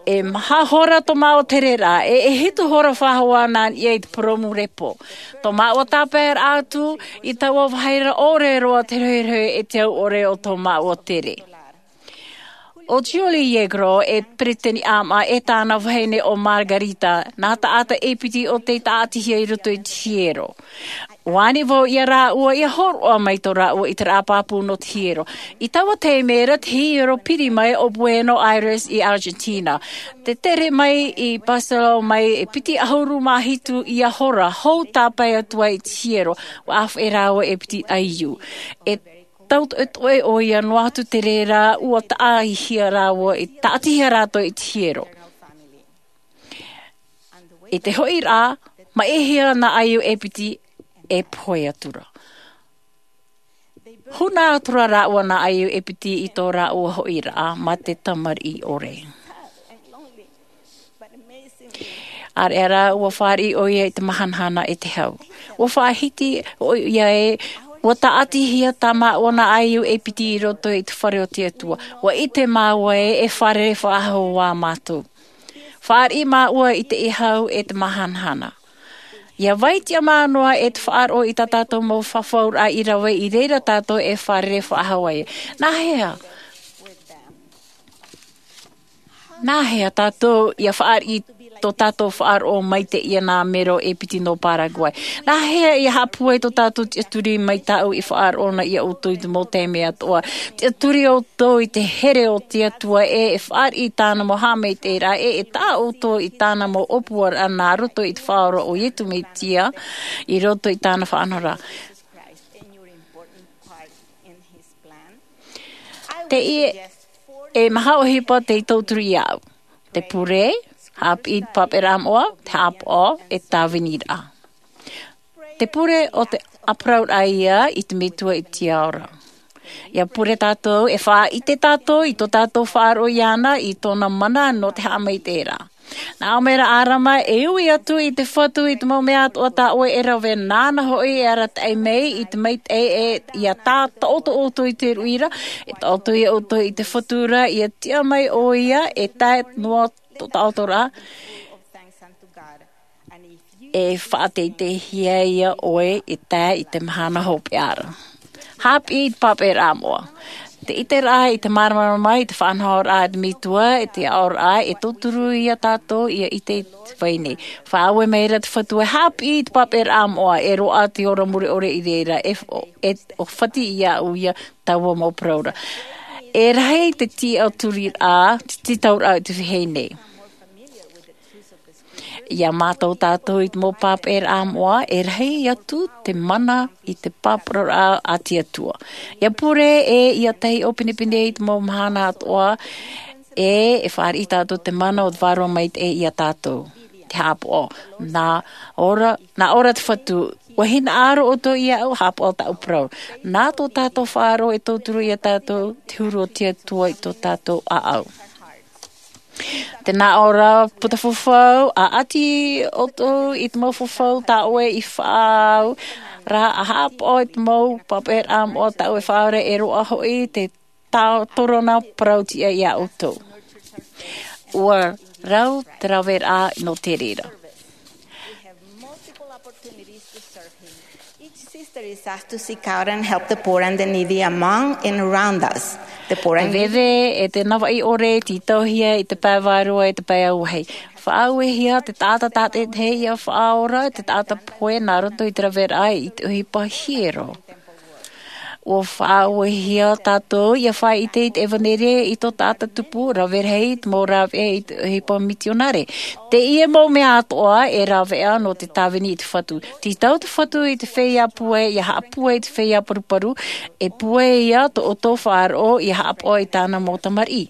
E maha hora tō māua tereraʻa, e, e hitu hora faʻahou nā niʻa i te purōmu repo. Tō māua tāpaeraʻa atu i taua vāhi ra, ʻore roa te rohirohi e te au ʻore o tō māua tere. ʻO Julie Yegros, e peretiteni ʻāmaʻa, e tāna vahine ʻo Margarita, nā taʻata e piti ʻo tei tāʻatihia i roto i te hiero. ʻUa ani vau ia rāua ia hōroʻa mai tō rāua ʻiteraʻa pāpū nō te hiero. I taua taime ra te hiero piri mai ʻo Buenos Aires i Argentina. Tē tere mai i Barcelona mai e piti ʻahuru mā hitu ia hora, hou tāpae atu ai i te hiero, ʻua ʻāfaʻi rāua e piti ʻaiū. E tautoʻetoʻe ʻoia noa atu te reira, ʻua tāʻatihia rāua, i tāʻatihia rātou i te hiero. I te hoʻiraʻa, maʻihia nā ʻaiū e piti e pohe atura. Huna atura rāua nā ʻaiū e piti i tō rāua hoʻiraʻa mā te tamariʻi ʻore. ʻĀreʻa rā, ʻua fāriʻi ʻoia i te mahanahana e te hau. ʻUa faʻahiti ʻoia ē, ʻua tāʻatihia tā māua nā ʻaiū e piti i roto i te fare o te Atua. ʻUa ʻite māua ē, e fārerei faʻahou ā mātou. Fāriʻi māua i te hau e te mahanahana. ʻIa vai tiʻamā noa e te faʻaroʻo i tā tātou mau fafauraʻa i rave, i reira tātou e fārerei faʻahou ai. Nā hea? Nā hea tātou ʻia fāriʻi tō tātou faʻaroʻo mai teie nā mero e piti nō Paraguay? Nā hea ʻia haʻapūai tō tātou tiʻaturi mai tāʻu i faʻaroʻo na iā ʻoutou i te mau taime atoʻa? Tiʻaturi ʻoutou i te here o te Atua ē, e fāriʻi i tāna mau haʻamaitaʻiraʻa ē, e taʻa ʻoutou i tāna mau ʻōpuaraʻa nā roto i te faʻaora o Iesu Mesia, i roto i tāna faʻanahoraʻa. Teie e maha ʻohipa tei tauturu iāʻu. Te pure, haʻapiʻi i te pāpaʻiraʻa moʻa, te haʻapaʻo, e tāviniraʻa. Te pure ʻo te ʻāparauraʻa ia i te Metua i te ao ra. ʻIa pure tātou, e faʻaʻite tātou i tō tātou faʻaroʻo iāna, i tōna mana nō te haʻamaitaʻiraʻa. Nā ʻō mai ra ʻo ʻārama, e ui atu i te Fatu i te mau mea atoʻa tā ʻoe e rave, nāna hoʻi e arataʻi mai i te maitaʻi, e ia tā taʻoto ʻoutou i te ruʻi ra, e taʻoto ia ʻoutou i te Fatu ra, ia tiʻa mai ʻoia e tae noa tō taʻoto ra, e faʻateiteihia ia ʻoe e tae i te mahana hopeʻa ra. Haʻapiʻi i te pāpaʻiraʻa moʻa. Te ʻiteraʻa i te māramarama, i te faʻanahoraʻa a te Metua, i te aʻoraʻa, e tauturu ia tātou ia ʻite i te vai nei. Faʻaue mai ra te Fatu e haʻapiʻi i te pāpaʻiraʻa moʻa, e roaʻa te ora mure ʻore i reira, e, e ʻōfati iāʻu ia taua mau parau ra. E rahi te tiʻaturiraʻa, te tītauraʻa i te vahine. Ia mātau tātou i te mau pāpaʻiraʻa moʻa, e rahi atu te mana i te pāparauraʻa a te Atua. Ia pure e ia tahi ʻōpinepine i te mau mahana atoʻa, e, e fāriʻi tātou te mana o te Vārua Maitaʻi ia tātou. Te haʻapaʻo, nā ʻō ra, nā ʻō ra te Fatu, ʻua hinaʻaro ʻoutou iāʻu, haʻapaʻo tāʻu parau. Nā tō tātou faʻaroʻo e tauturu ia tātou, te huru o te Atua i tō tātou ʻāʻau. Tē nā ʻō ra puta fafau, ʻa ʻati ʻoutou i te mau fafau tā ʻoe i faʻaau ra, ʻa haʻapaʻo i te mau pāpaʻiraʻa moʻa tā ʻoe e faʻaau ra, e roaʻa hoʻi te tā-, tōrona parau-tiʻa ia ʻoutou. ʻUa rau te raveraʻa nō te reira. Each sister is asked to seek out and help the poor and the needy among and around us. The poor and needy. E veve e te navaʻi ʻore, tītauhia i te pae vārua, i te pae auahi. Faʻauehia te taʻata tātaʻitahi ia faʻaora, te taʻata pohe nā roto i te raveraʻa i te ʻohipa hiero. ʻUa faʻauehia tātou ia faʻaʻite i te ʻevanelia i tō taʻata tupu, rave rahi i te mau rāveʻa i te ʻohipa mitionare. Teie mau mea atoʻa e rāveʻa nō te tāvini i te Fatu. Tītau te Fatu i te feiā pūai, ia haʻapūai i te feiā paruparu, e pūai ia tō ʻoutou faʻaroʻo, ia haʻapaʻo i tāna mau tamariʻi.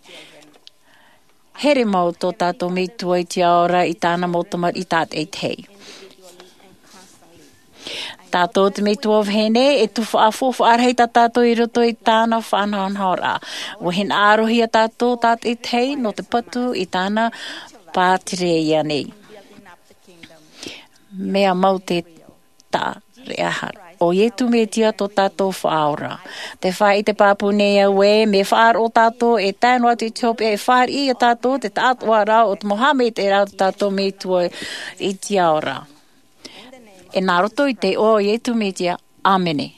Here mau tō tātou Metua i te ao ra i tāna mau tamariʻi tātaʻitahi. Tātou te Metua vahine, e tufaʻa faufaʻa rahi tā tātou i roto i tāna faʻanahonahoraʻa. ʻUa hinaʻarohia tātou tātaʻitahi nō te patu i tāna pātireia nei. Mea mau te taʻa reʻa hara. ʻO Iesu Mesia tō tātou Faʻaora. Tē faʻaʻite pāpū nei au ē, mea faʻaroʻo tātou e tae noa atu i te hopeʻa, e fāriʻi ia tātou te taʻatoʻaraʻa o te mau haʻamaitaʻiraʻa o tō tātou Metua i te ao ra. E nā roto i te iʻoa o Iesu Mesia. ʻĀmene.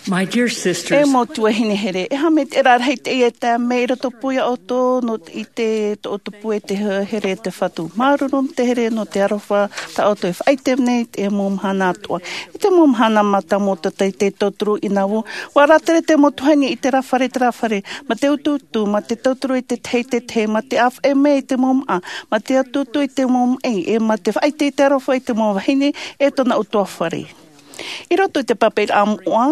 My dear sisters, e mau tuahine here, e haʻamaitaʻiraʻa rahi teie e tae mai i roto pū ia ʻoutou nō te ʻite tō ʻoutou pūai i te here a te Fatu. Māuruuru te here nō te aroha tā ʻoutou e faʻaʻite nei i te mau mahana atoʻa. I te mau mahana mātāmua o tō teie tauturu i Nauvoo, ʻua rātere te mau tuahine i terā fare, terā fare, mā te utuutu, mā te tauturu i te tahi, te tahi, mā te ʻāfaʻi mai i te mau māʻa, mā te utuutu i te mau maʻi, e mā te faʻaʻite i te aroha i te mau vahine, e tōna ʻutuāfare. I roto i te pāpaʻiraʻa moʻa,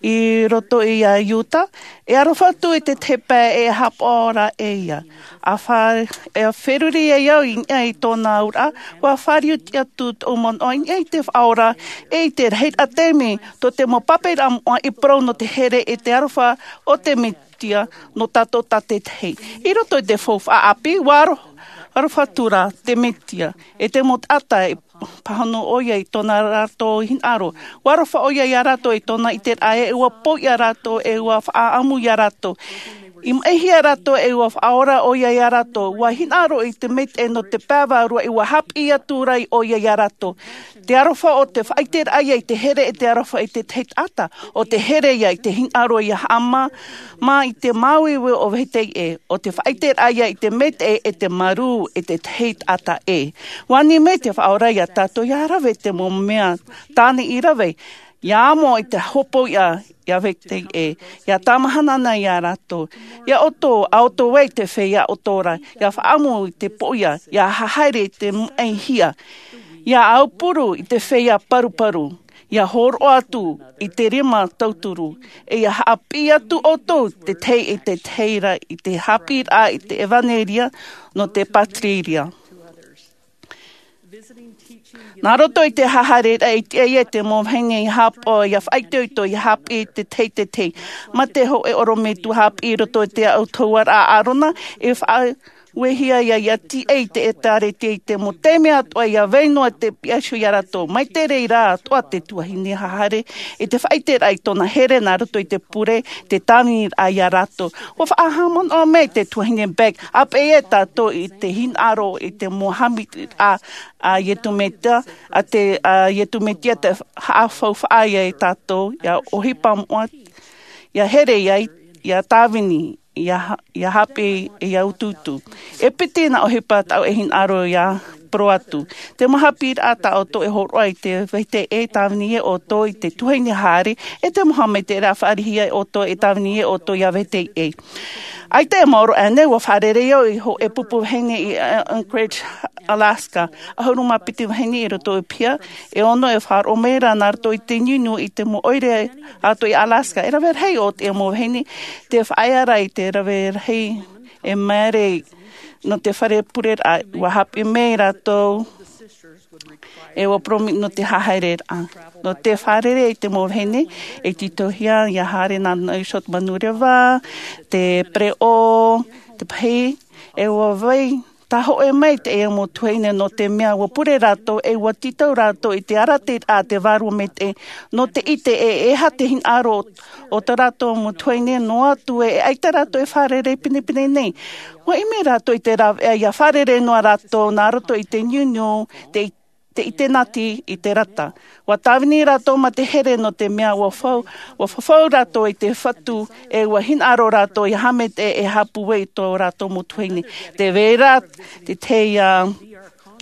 i roto ia Iuta, e aroha atu i te tahi pae e haʻapaʻo ra e ia. ʻA fa-, e feruri ai au i niʻa i tōna auraʻa, ʻua fāriu atu tōʻu manaʻo i niʻa i te Faʻaora, e i te rahiraʻa taime, tō te mau pāpaʻiraʻa moʻa i parau nō te here e te aroha o te Mesia nō tātou tātaʻitahi. I roto i te faufaʻa ʻāpī, ʻua aro-, aroha atu ra te Mesia, e te mau taʻata e pāhono ʻoia i tōna rātou hinaʻaro. ʻUa aroha ʻoia ia rātou i tōna ʻiteraʻa, e ʻua poiʻa rātou, e ʻua faʻaʻamu ia rātou. I maʻihia rātou, e ʻua faʻaora ʻoia ia rātou. ʻUa hinaʻaro i te maitaʻi nō te pae vārua, e ʻua haʻapiʻi atu ra ʻoia ia rātou. Te aroha ʻo te faʻaʻiteraʻa ia i te here e te aroha i te tahi taʻata, ʻo te here ia i te hinaʻaro ia haʻamā, mā i te māuiui o vetahi ʻē, ʻo te faʻaʻiteraʻa ia i te maitaʻi e te marū e te tahi taʻata ʻē. ʻUa ani mai te Faʻaora ia tātou ia rave te mau mea tāne i rave, ia amo i te hopoiʻa ia vetahi ʻē, ia tāmahana na ia rātou. Ia ʻoutou, ʻa ʻoutou ai te feiā ʻoto ra, ia faʻaʻamu i te poiʻa, ia hahaere i te maʻihia, ia aupuru i te feiā paruparu, ia hōroʻa atu i te rima tauturu, e ia haʻapiʻi atu ʻoutou te tahi e te tahi ra i te haʻapiʻiraʻa i te ʻevanelia nō te pātireia. Nā roto i te hahaereraʻa i tiʻa ai te mau vahine ia hāpaʻo, ia faʻaitoito, ia hāpiʻi i te teitei, mā te hōʻē ʻorometua hāpiʻi i roto i te autahuʻaraʻa a Arona, e faʻauehia ia, ia tiʻa i te ʻĒkālesia i te mau taime atoʻa, ia vai noa te piha iho ia rātou. Mai te reira atoʻa te tuahine hahaere i te faʻaiteraʻa i tōna here nā roto i te pure, te tāviniraʻa ia rātou. ʻUa faʻahaʻamanaʻo mai te tuahine Beck, ʻāpeʻe tātou i te hinaʻaro i te mau haʻapiʻiraʻa a Iesu Mesia, a te, a Iesu Mesia te haʻafaufaʻa ia e tātou, ia ʻohipa moʻa, ia here, ia, ia tāvini, ia, ia hāpiʻi, ia utuutu. E piti nā ʻohipa tāʻu e hinaʻaro ia parau atu. Te mau haʻapiʻiraʻa tā ʻoutou e hōroʻa i te vahine e tāvini ia ʻoutou i te tuahine haere, e te mau haʻamaitaʻiraʻa fāriʻi ia ʻoutou e tāvini ia ʻoutou ia vahine. ʻAita e maoro aʻenei, ʻua fārerei au i hōʻē pupu vahine i, uh, Anchorage, Alaska. ʻAhuru mā piti vahine i roto i te piha, e ono e faʻaroʻo mai ra nā roto i te niuniu i te mau ʻoire atoʻa i Alaska. E rave rahi ʻo te mau vahine, te faʻaea ra i te rave rahi e maere nō te fare pureraʻa, ʻua hāpiʻi mai rātou, e ʻua poromi nō te hahaereraʻa. Nō te fārerei i te mau vahine, e tītauhia ia haere nā Nausori Manureva, te pereʻoʻo, te pahi, e ʻua vai, tā hōʻē mai te mau tuahine nō te mea ʻua pure rātou, e ʻua tītau rātou i te arataʻiraʻa a te Vārua Maitaʻi, nō te ʻite e, e aha te hinaʻaro o tā rātou mau tuahine noa atu e, e ʻaita rātou e fārerei pinepine nei. ʻUa ʻimi rātou i te rāveʻa ia fārerei noa rātou nā roto i te niuniu, te, te ʻitenati i te rata. ʻUa tāvini rātou mā te here nō te mea ʻua fau, ʻua fafau rātou i te Fatu, e ʻua hinaʻaro rātou ia haʻamaitaʻi e haʻapūai i tō rātou mau tuahine. Tē vai ra te, te, uh,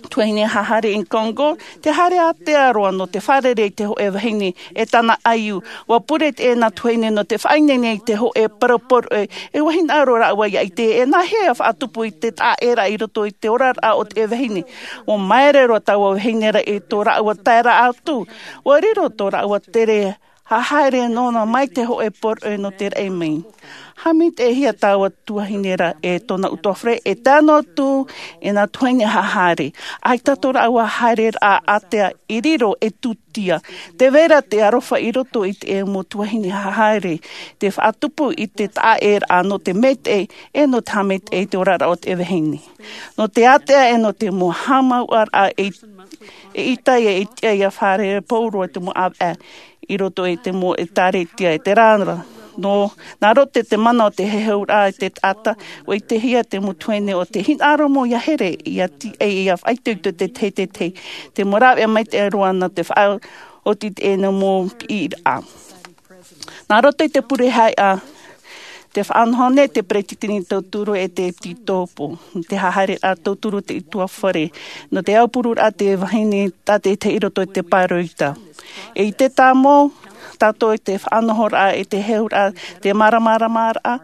tuahine hahaere i Congo, te haere ātea roa nō te fārerei i te hōʻē vahine e tāna ʻaiū. ʻUa pure teie tuahine nō te faʻaineine i te hōʻē parau poroʻi, e ʻua hinaʻaro rāua ia ʻite, e nāhea e faʻatupu i te taʻaʻēraʻa i roto i te oraraʻa o te vahine. ʻUa māere roa taua vahine ra i tō rāua taeraʻa atu. ʻUa riro tō rāua tere hahaere nōna mai te hōʻē poroʻi nō te raʻi mai. Haʻamaitaʻihia taua tuahine ra e tōna utuafare, e tae noa atu i nā tuahine hahaere. ʻAita tō rāua haereraʻa ātea i riro e tūtia. Tē vai ra te aroha i roto i te mau tuahine hahaere, te faʻatupu i te taʻaʻēraʻa nō te maitaʻi, e nō te haʻamaitaʻi i te oraraʻa o te vahine. Nō te ātea e nō te mau haʻamāuʻaraʻa e, e ʻita ia, e tiʻa ia fārerei pauroa te mau ʻāvaʻe i roto i te mau ʻĒkālesia, e te reira. Nō, nā roto i te mana o te heheuraʻa i te taʻata, ʻua ʻitehia te mau tuahine ʻo te hinaʻaro mau ia here, ia tiʻa, ia faʻaitoito i te teitei, te mau rāveʻa maitaʻi roa nā te faʻaoti i teie mau piʻiraʻa. Nā roto i te pure haʻeʻa, tē faʻanaho nei te peresideni tauturu e te ʻEpīkōpō, te hahaereraʻa tauturu te utuafare, nō te aupururaʻa te vahine tātaʻitahi i roto i te pāroita. E ʻite tāmau tātou i te faʻanahoraʻa, i te heheuraʻa, te māramaramaraʻa,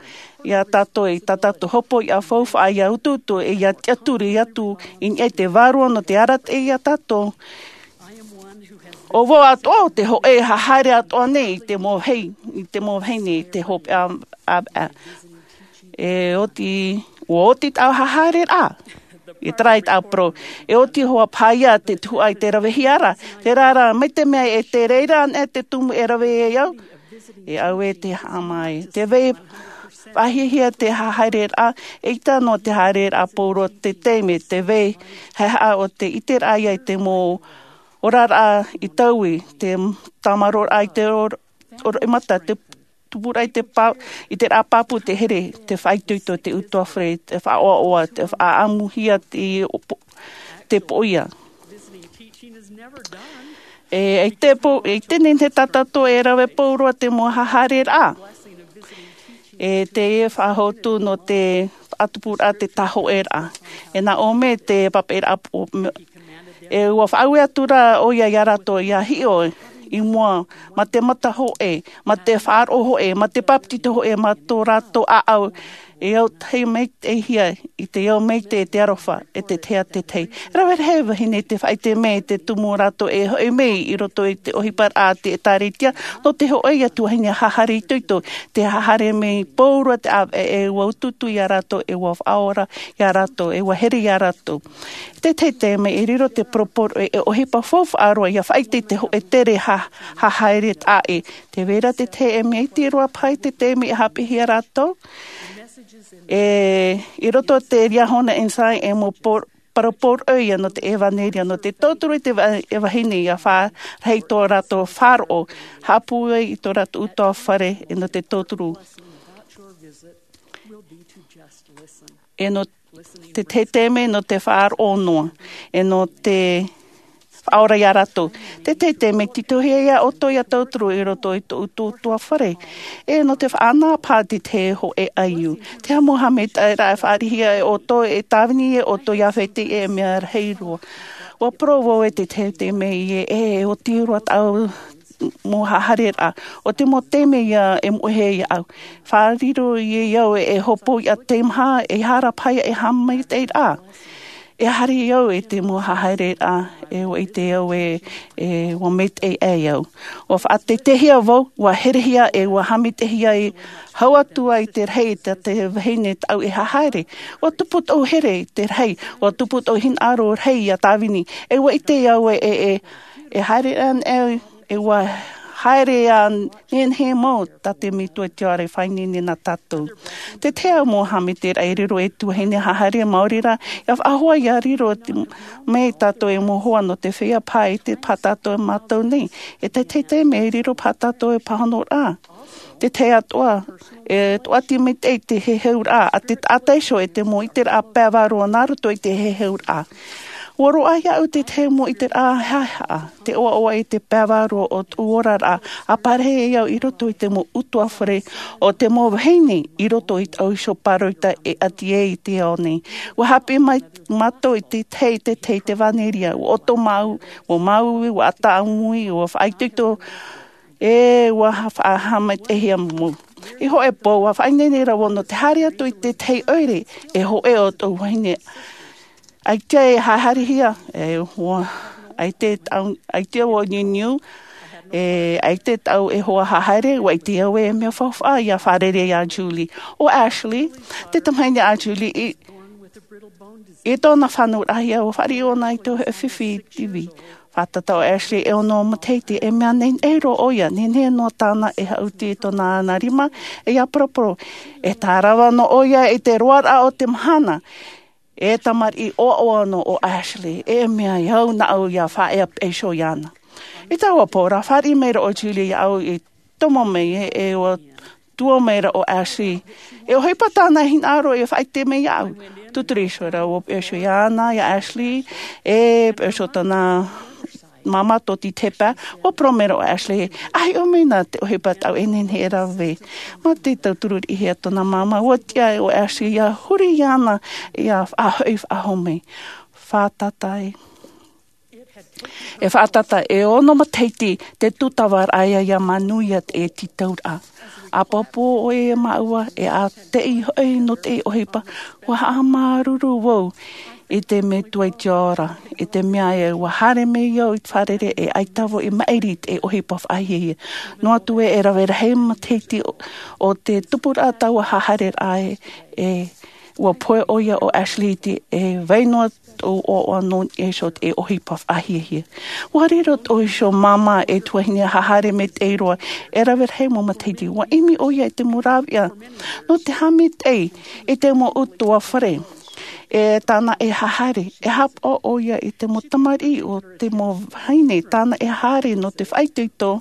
ia tātou, i tā tātou hopoiʻa faufaʻa, ia utuutu, e ia tiʻaturi atu i niʻa i te Vārua nō te arataʻi ia tātou. ʻO vau atoʻa te hōʻē hahaere atoʻa nei i te mau vahine, i te mau vahine, i te hopeʻa ʻāvaʻe. E oti, ʻua oti tāʻu hahaereraʻa. E terā ia tāʻu parau. E oti hoʻi paʻi ia te tuhaʻa i te ravehia ra. Terā rā, mai te mea e te reira anaʻe te tumu e rave ai au, e au e te haʻamāuʻa. Tē vai faʻahiahia te hahaereraʻa, e ʻita noa te haereraʻa pauroa te taime, tē vai haʻehaʻa ʻo te ʻiteraʻa ia i te mau oraraʻa i taui, te tāmaroraʻa i te oro-, oroʻi mata, te tupuraʻa i te pā-, i te rā pāpū, te here, te faʻaitoito, te utuafare, te faʻaʻoaʻoa, te faʻaʻamuhia te po-, te poʻia. E, e te po-, e te nene tā tātou e rave pauroa te mau hahaereraʻa. E te faʻahotu nō te faʻatupuraʻa te tāhōʻēraʻa. E nā ʻō mai te papaʻiraʻa po-, e ʻua faʻaue atu ra ʻoia ia rātou ia hiʻo, i mua, mā te mata hoʻe, mā te faʻaroʻo hoʻe, mā te papetito hoʻe, mā tō rātou ʻāʻau e autahi maitaʻihia i te ao maitaʻi, e te aroha, e te tahi ā te tahi. Rave rahi vahine te faʻaʻite mai te tumu o rātou e hoʻi mai i roto i te ʻohipa a te ʻĒtārētia, nō te hoʻi atu vahine hahare itoito, te hahare mai pauroa te ʻāvaʻe, e ʻua utuutu iā rātou, e ʻua faʻaora iā rātou, e ʻua here iā rātou. Te tahi taime e riro te poroporo e ʻohipa faufaʻa roa ia faʻaʻite i te hoʻe tere ha- haere taʻa ʻē. Te vera te tahi e mea iti roa paha i te taime e haʻapiʻihia rātou. E i roto te riahona insai e mau poroporo ia nō te ʻevanelia nō te tauturu i te vahine ia fārahi tō rātou faʻaroʻo, haʻapūai i tō rātou utuafare e nō te tauturu e nō te tahi taime nō te faʻaroʻo noa, e nō te faʻaora iā rātou. Te tahi taime titohia iā ʻoutou ia tauturu i roto i tō ʻoutou utuafare, e nō te faʻanaho paha te tahi hoʻe ʻaiū. Te haʻamāuruuru e faʻarihia e ʻoutou e tāvini e ʻoutou ia fete e mea rahi roa. Ua parau vau e te tahi taime e e oti roa tāʻu mau hahareraʻa, o te mau taime ia e moʻehia iāʻu. Faʻariro ia iāʻu e hopoiʻa teimaha e hara paha e haʻamaitaʻiraʻa. E haere au i te mau hahareraʻa e ʻite au e ua maitaʻi ai au. Ua faʻateitei vau, ua herehia e ua haʻamaitaʻihia e hau atu ai te rahi i te vahine tāʻu e haere. Ua tupu tōʻu here i te rahi, ua tupu tōʻu hinaʻaro rahi ia tāvini. E ua ʻite au e e e haere ana au e ua haere a nehenehe mau tā te metua i te ao e faʻaineine nā tātou. Te tahi mau haʻamaitaʻiraʻa e riro e te vahine haere maori rā ia faʻahoa ia riro mai tātou e mau hoa nō te feiā paha e te paha tātou e mātau nei. E te tahi taime e riro paha tātou e pāhonoraʻa, te tahi atoʻa e toʻati maitaʻi te heheuraʻa a te taʻata iho e te mau ʻiteraʻa pae vārua nā roto i te heheuraʻa. Ua roaʻa iāʻu te tahi mau ʻiteraʻa haʻehaʻa, te ʻoaʻoa i te pae vārua o tōʻu oraraʻa a pārahi ai au i roto i te mau utuafare o te mau vahine i roto i tāʻu iho pāroita e ʻati ai i te ao nei. Ua haʻapiʻi mai mātou i te tahi i te tahi te ʻevanelia, ua ʻoto māuiui, ua māuiui, ua ʻātaʻamui, ua faʻaitoito, e ua faʻahaʻamaitaʻihia mau. I hoʻē pō ua faʻaineine rā vau nō te haere atu i te tahi ʻoire e hoʻē o tōʻu vahine. ʻAita e haerehia e hoa, ʻaita tāʻu, ʻaita vau niuniu, e ʻaita tāʻu e hoa haere, ua ʻite au e mea faufaʻa ia fārerei iā Julie. ʻO Ashley, te tamahine a Julie, i i tōna fānauraʻahia ua fāriʻi ʻōna i te fifi tivi. Fātata ʻo Ashley e ono matahiti, e mea nehenehe roa ʻoia, nehenehe noa tāna e haʻuti i tōna ana rima, e ia poroporo. E tārava noa ʻoia i te roaraʻa o te mahana. E tamariʻi ʻoaʻoa noa ʻo Ashley, e mea e au nāʻu ia faʻaea peʻe iho iāna. I taua pō rā fāriʻi mai rā ʻo Julie iāʻu i tomo mai e ua tuʻu mai rā ʻo Ashley. E ʻohipa tāna hinaʻaro e faʻaʻite mai iāʻu. Tūturi iho rā ua peʻe iho iāna iā Ashley, e peʻe iho tōna māmā tō te pae. Ua parau mai rā ʻo Ashley, ʻa hiʻo mai na te ʻohipa tāʻu e nehenehe e rave. Mā te tauturu riʻi hia tōna māmā, ua tiʻa ʻo Ashley ia huri iāna ia faʻahoʻi faʻahou mai. Fātata e E fātata e ono matahiti te tūtava raʻa ia ia manuia te tītauraʻa. ʻApapū ʻoe e māua e ʻāteʻi hoʻi nō te ʻohipa. Ua haʻamāuruuru vau i te metua i te ao ra, i te mea e ua haere mai au i te fārerei e ʻaita vau i maʻiri i te ʻohipa faʻahiahia. Noa atu e rave rahi matahiti o te tupuraʻa taua hahareraʻa e ua pohe ʻoia ʻo Ashley i te e vai noa tōʻu ʻoaʻoa nō niʻa iho te ʻohipa faʻahiahia. Ua riro tōʻu iho māmā e tuahine haere maitaʻi roa e rave rahi mau matahiti. Ua ʻimi ʻoia i te mau rāveʻa nō te haʻamaitaʻi i te mau utuafare e tāna e haere. E haʻapaʻo ʻoia i te mau tamariʻi o te mau vahine tāna e haere nō te faʻaitoito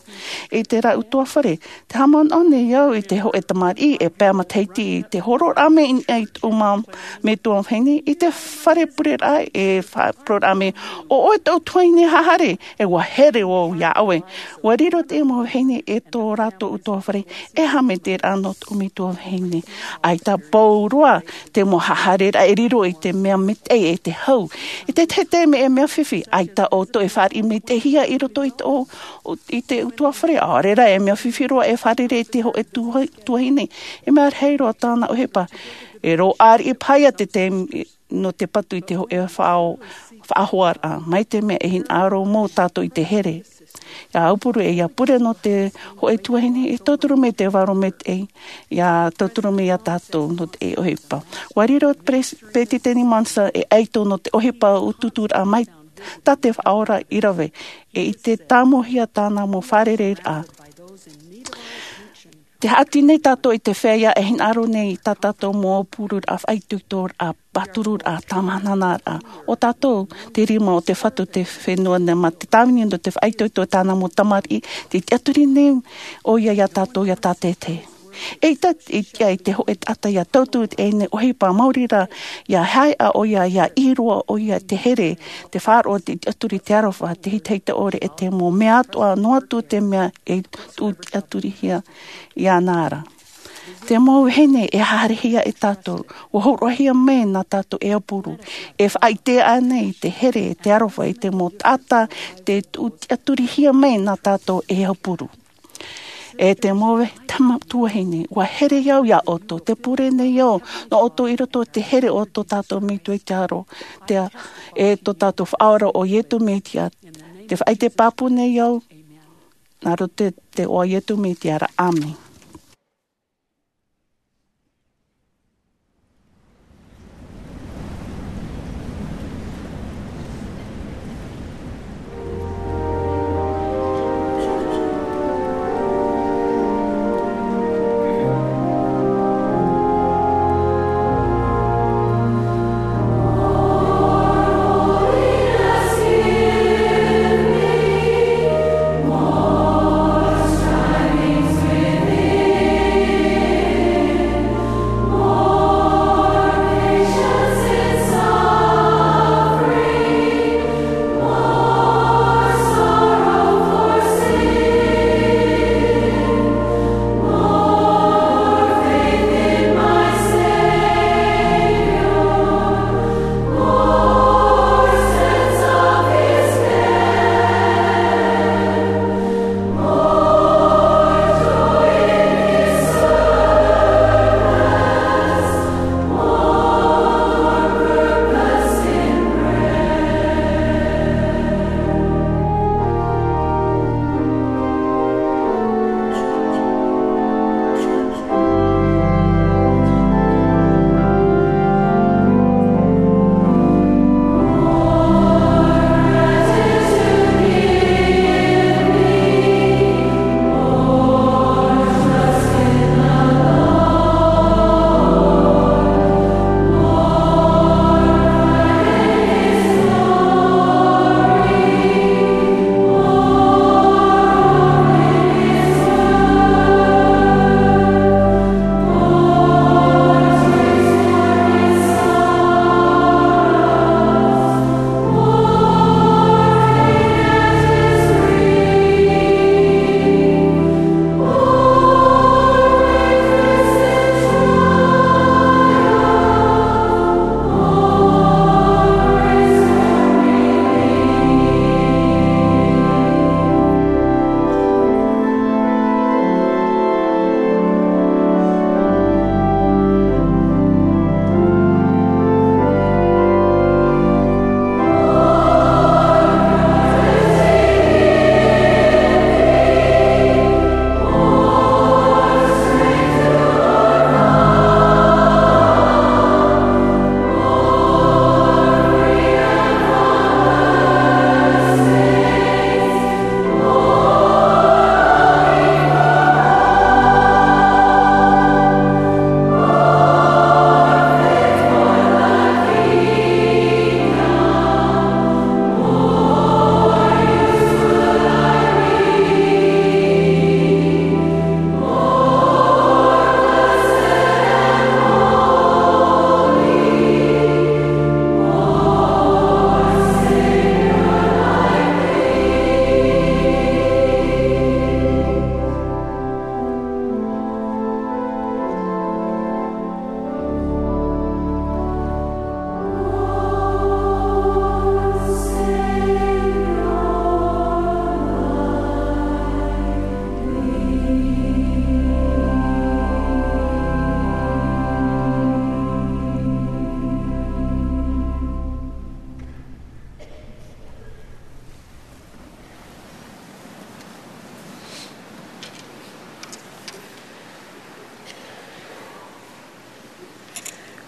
i te rā utuafare. Te haʻamanaʻo nei au i te hōʻē tamariʻi e pae matahiti i te horoʻaraʻa mai i niʻa i tōʻu metua vahine i te fare pureraʻa e faʻaparuraʻa mai, ʻo ʻoe tōʻu tuahine haere, e ua here vau iā ʻoe. Ua riro te mau vahine e tō rātou utuafare e haʻamaitaʻiraʻa nō tōʻu metua vahine. ʻAita pauroa te mau hahareraʻa e riro i te mea maitaʻi e te hau. I te tahi taime e mea fifi, ʻaita ʻoutou e fāriʻi maitaʻihia i roto i te ʻō-, i te ʻutuāfare, ʻaore rā e mea fifi roa e fārerei i te hōʻē tuha-, tuahine. E mea rahi roa tāna ʻohipa. E rōʻāriʻi paha ia te taime nō te patu i te hōʻē faʻao-, faʻahoaraʻa. Mai te mea e hinaʻaro mau tātou i te here. ʻIa aupuru e ʻia pure nō te hōʻē tuahine, e tauturu mai te vārua maitaʻi, ʻia tauturu mai ia tātou nō te ʻohipa. ʻUa riro te pres-, Peretiteni Monson e ʻaito nō te ʻohipa utuuturaʻa mai tā te Faʻaora i rave, e i te tāmauhia tāna mau fārereiraʻa. Te haʻati nei tātou i te feiā e hinaʻaro nei i tā tātou mau aupururaʻa, faʻaitoitoraʻa, pātururaʻa, tāmānanaraʻa. ʻO tātou te rima o te Fatu o te fenua nei, mā te tāvini nō te faʻaitoito tāna mau tamariʻi, tē tiʻaturi nei ʻoia ia tātou ʻia tātaʻitahi. E ʻita, e tiʻa i te hōʻē taʻata ʻia tauturu i teie nei ʻohipa, maori rā, ʻia haeʻa ʻoia, ʻia ʻī roa ʻoia te here, te faʻaroʻo, te tiʻaturi, te aroha, te hitahita ʻore, e te mau mea atoʻa, noa atu te mea e tuʻu tiʻaturihia iāna ra. Te mau vahine e haerehia e tātou, ʻua hōroʻahia mai nā tātou e aupuru. E faʻaʻite aʻe nei te here, te aroha, i te mau taʻata, tē tuʻu tiʻaturihia mai nā tātou e aupuru. E te mau ve-, tama tuahine, ʻua here au iā ʻoutou, tē pure nei au, nō ʻoutou i roto i te here o tō tātou Metua i te aro, te a-, e tō tātou Faʻaora ʻo Iesu Mesia, tē faʻaʻite pāpū nei au, nā roto i te iʻoa o Iesu Mesia ra, ʻāmene.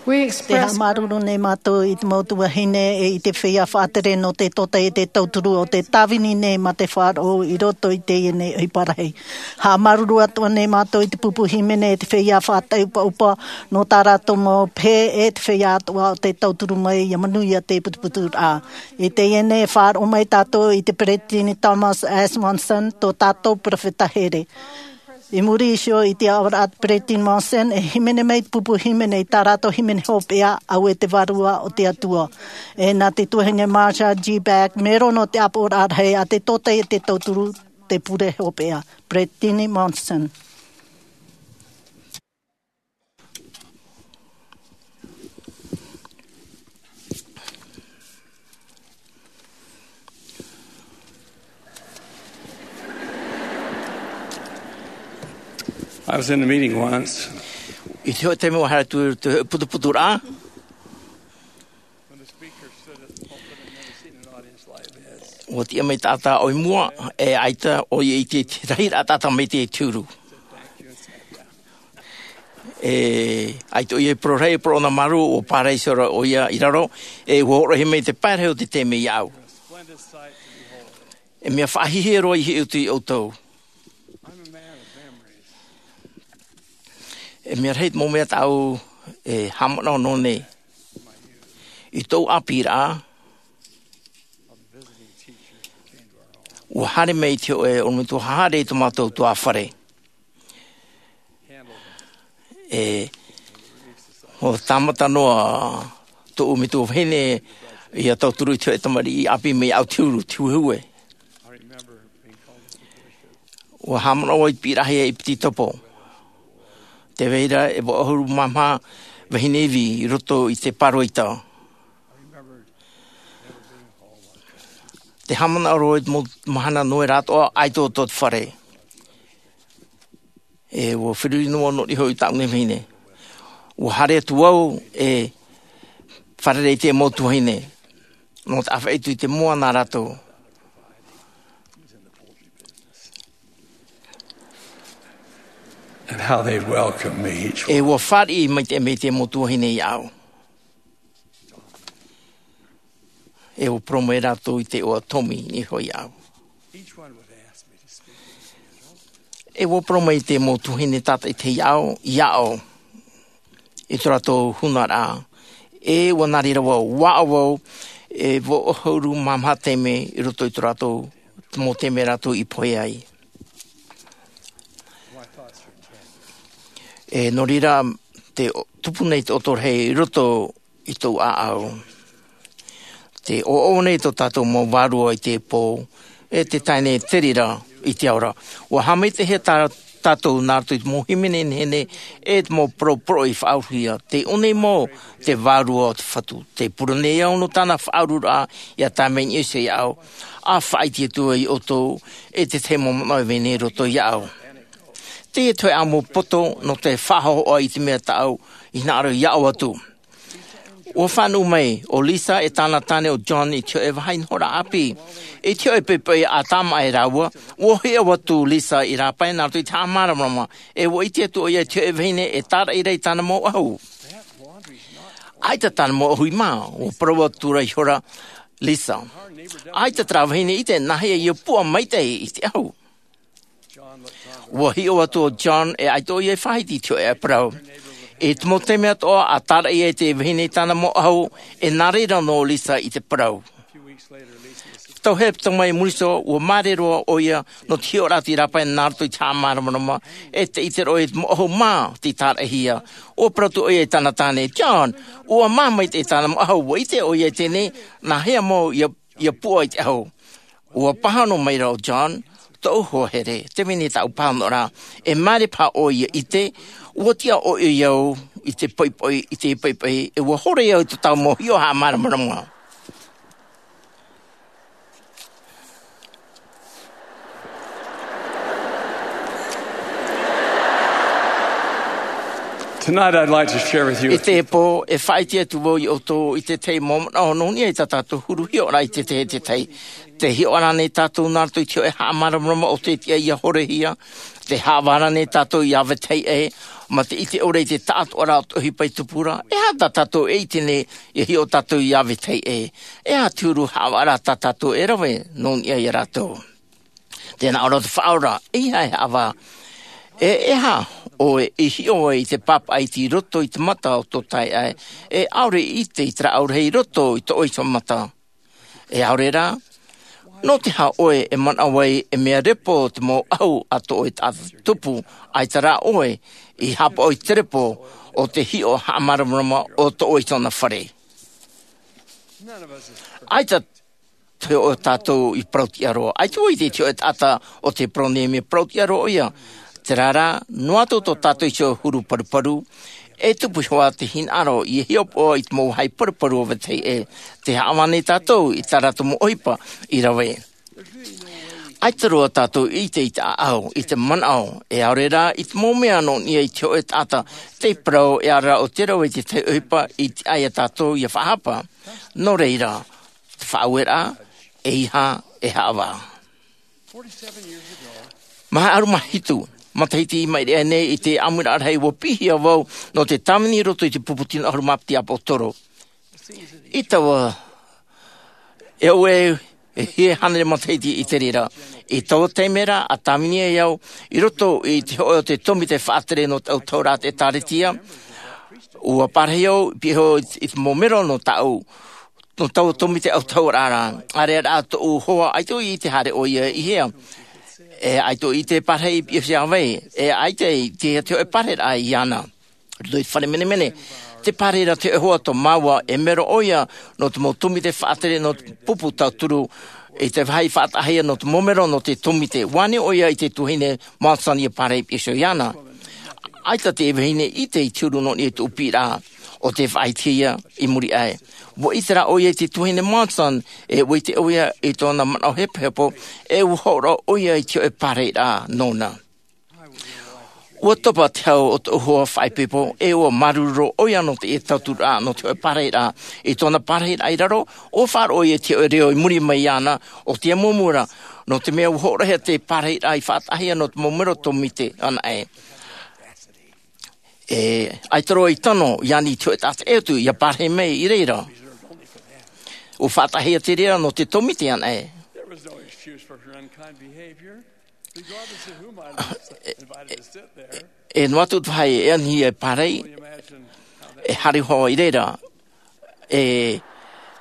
Te haʻamāuruuru nei mātou i te mau tuahine e i te feiā faʻatere nō te tōtaiete tauturu o te tāvini nei mā te faʻaroʻo i roto i teie nei ʻohipa rahi. Haʻamāuruuru atoʻa nei mātou i te pupu hīmene e te feiā faʻaʻupaʻupa nō tā rātou mau pehe e te feiā atoʻa o te tauturu mai ia manuia te putuputuraʻa. I teie nei e faʻaroʻo mai tātou i te peresideni Thomas S Monson, tō tātou peropheta here. I muri iho i te aʻoraʻa a te peresideni Monson e hīmene mai te pupu hīmene i tā rātou hīmene hopeʻa, auē te vārua o te Atua. E nā te tuahine Marcia G Beck, mero nō te ʻāpoʻoraʻa rahi a te tōtaiete tauturu, te pure hopeʻa. Peresideni Monson. I was in a meeting once. I te hōʻē taime ua haere atu i te putuputuraʻa. When the speaker stood at the pulpit, I've never seen an audience like this. Ua tiʻa mai taʻata ʻoe i mua, e ʻaita ʻoe i te, te rahiraʻa taʻata mai te turu. E, ʻaita ʻoia i parau rahi, e parau ʻōna māuruuru, ʻua pārahi iho ra ʻoia i raro, e ʻua hōroʻahia mai te pae rahi o te taime iāʻu. E mea faʻahiahia roa i hiʻo atu iā ʻoutou. E mea rahi te mau mea tāʻu e haʻamanaʻo noa nei. I tōʻu ʻāpīraʻa, ʻua haere mai te hōʻē ʻorometua haʻahaere i tō mātou ʻutuāfare. E, ʻua tāmata noa tōʻu metua vahine ʻia tauturu i te hōʻē tamariʻi ʻāpī mai iāʻu te huru, te huehue. ʻUa haʻamanaʻo au i te piʻiraʻahia i Piti Topo. Tē vai ra e vaʻu ʻahuru mā maha vahine ivi i roto i te pāroita. Tē haʻamanaʻo au i te mau mahana noera atoʻa, ʻaita ʻo tō te fare. E ʻua feruri noa noa iho i tāʻu nei vahine. ʻUa haere atu au e fārerei i te mau tuahine. Nō te ʻāfaʻi atu i te moa nā rātou. And how they welcome me each E ʻua fāriʻi maitaʻi mai te mau tuahine iāʻu. E ʻua parau mai rātou i te iʻoa Tommy iho iāʻu. E ʻua parau mai te mau tuahine tātaʻitahi iāʻu, iāʻu, i tō rātou hūnaraʻa. E ʻua nā reira vau, ʻua ʻāʻau vau, e vaʻu ʻahuru mā maha taime i roto i tō rātou, te mau taime rātou i pohe ai. E nō reira, tē tupu nei te ʻoto rahi i roto i tōʻu ʻāʻau. Tē ʻoaʻoa nei tō tātou mau vārua i te pō, e tē tae nei te reira i te ao ra. ʻUa haʻamaitaʻihia tā tātou nā roto i te mau hīmene nehenehe, e te mau parau poroʻi faʻauruhia. Tē ʻō nei mau te Vārua o te Fatu. Tē pure nei au nō tāna faʻaururaʻa, ʻia tae mai niʻa iho iāʻu. ʻA faʻaʻite atu iā ʻoutou, e te tahi mau manaʻo e vai nei i roto iāʻu. Teie te hōʻē ʻāʻau poto nō te faʻahohoʻa i te mea tāʻu i hinaʻaro ʻia ʻoaʻoa atu. ʻUa fānaʻo mai ʻo Lisa e tāna tāne ʻo John i te hōʻē vāhi nohoraʻa ʻāpī. I te hōʻē poʻipoʻi ʻa tāmāʻa e rāua, ʻua hiʻo atu Lisa i rāpae nā roto i te haʻamāramarama, e ʻua ʻite atu ʻoia i te hōʻē vahine e tāraʻi ra i tāna mau ʻahu. ʻAita tāna mau ʻahu i mā, ʻua parau atu ra ihora Lisa. ʻAita terā vahine i ʻite nāhea ʻia puʻa maitaʻi i te ʻahu. ʻUa hiʻo atu ʻo John e ʻaita ʻoia i faʻahiti i te hōʻē parau. I te mau taime atoʻa, ʻa tāraʻi ai te vahine i tāna mau ʻahu, e nā reira noa ʻo Lisa i te parau. Tau hepetoma i muri iho, ʻua māere roa ʻoia nō te hiʻoraʻa i rāpae nā roto i te haʻamāramarama, e tē ʻite ra ʻoia i te mau ʻahu mā tei tāraʻihia. ʻUa parau atu ʻoia i tāna tāne, John, ʻua mā maitaʻi tāna mau ʻahu, ʻua ʻite ʻoia i teie nei, nāhea mau ʻia, ʻia puʻa i te ʻahu. ʻUa pāhono mai ra ʻo John, tōʻu hoa here, tē vai nei tāʻu pāhonoraʻa, e māere paha ʻoe ʻia ʻite, ʻua tiʻa ʻoe ʻoia au i te poʻipoʻi, i te poʻipoʻi, e ʻua hore au i tō tāʻu mau hiʻo haʻamāramarama. Tonight I'd like to share with you I teie pō, e faʻaʻite atu vau iā ʻoutou i te tahi mau manaʻo nō niʻa i tā tātou huru hiʻoraʻa i te tahi, te tahi. Tē hiʻo ra nei tātou nā roto i te hōʻē haʻamāramarama ʻo tē tiʻa ʻia horehia, tē haʻavā ra nei tātou ʻia vetahi ʻē, Mā te ʻite ʻore i te taʻatoʻaraʻa o te ʻohipa i tupu ra, e aha tā tātou e ʻite nei, e hiʻo tātou iā vetahi ʻē? E aha te huru haʻavāraʻa tā tātou e rave nō niʻa iā rātou? Tē nā ʻō ra te Faʻaora, ʻeiaha e haʻavā. E aha ʻoe i hiʻo ai i te pāpaʻi i roto i te mata o tō taeaʻe, e ʻaore i ʻite i te rāʻau rahi i roto i tō ʻoe iho mata? E ʻaore rā, nō te aha ʻoe e manaʻo ai e mea repo te mau ʻahu a tō ʻoe taʻata tupu, ʻaita rā ʻoe i haʻapaʻo i te repo o te hiʻo haʻamāramarama o tō ʻoe iho fare? ʻAita te hōʻē o tātou i parau-tiʻa-roa. ʻAita vau i te hōʻē taʻata o te parau nei e mea parau-tiʻa-roa ʻoia. Terā rā, noa atu tō tātou iho huru paruparu, e tupu iho ā te hinaʻaro ʻia hiʻopoʻa i te mau vāhi paruparu o vetahi ʻē, tē haʻavā nei tātou i tā rātou mau ʻohipa i rave. ʻAita roa tātou i ʻite i te ʻāʻau, i te manaʻo, e ʻaore rā i te mau mea nō niʻa i te hōʻē taʻata, tei parau e ʻaore rā ʻo te rave i te tahi ʻohipa i tiʻa iā tātou ʻia faʻahapa. Nō reira, te faʻaueraʻa, ʻeiaha e haʻavā. Maha ʻahuru mā hitu matahiti i maʻiri aʻe nei, i te ʻāmuiraʻa rahi ʻua piʻihia vau nō te tāvini i roto i te pupu tino ʻahuru mā piti ʻāpōsetolo. I taua, e au e, e hia hānere matahiti i te reira. I taua taime ra, ʻa tāvini ai au i roto i te hōʻē o te tōmite faʻatere nō te ʻautahuʻaraʻa a te ʻĒkālesia. ʻUa parahi au, piʻi iho i te mau mero nō tāʻu, nō taua tōmite ʻautahuʻaraʻa ra. ʻĀreʻa rā tōʻu hoa, ʻaita i ʻite haere ʻoia i hea. E ʻaita i ʻite e parahi i piʻi iho iā vai. E ʻaita i ʻite te hōʻē parahiraʻa iāna. Roto i te fare menemene, tē parahi ra te hōʻē hoa tō māua, e mero ʻoia nō te mau tōmite faʻatere nō te pupu tauturu, i te vāhi faʻataʻahia nō te mau mero nō te tōmite. ʻUa ani ʻoia i te tuahine Monson ʻia parahi i piʻi iho iāna. ʻAita te vahine i ʻite i te huru nō niʻa i tōʻu piʻiraʻa, ʻo tē faʻaʻitehia i muri aʻe. ʻUa ʻite rā ʻoia i te tuahine Monson, e ʻua ʻite ʻoia i tōna manaʻo hepohepo, e ʻua hōroʻa ʻoia i te hōʻē parahiraʻa nōna. ʻUa topa te hau o tōʻu hoa faʻaipoipo, e ʻua māuruuru ʻoia nō teie tauturu nō te hōʻē parahiraʻa. I tōna parahiraʻa i raro, ʻua faʻaroʻo ʻoia i te hōʻē reo i muri mai iāna, ʻo te amuamua ra, nō te mea ʻua hōroʻahia te parahiraʻa i faʻataʻahia nō te mau mero tōmite anaʻe. E, ʻaita roa i tano, i ani i te hōʻē taʻata ʻē atu, ʻia parahi mai i reira. ʻUa faʻataʻahia te reira nō te tōmite anaʻe. E, e, e noa atu te vāhi e anihia e parahi, e haere hoʻi i reira. E,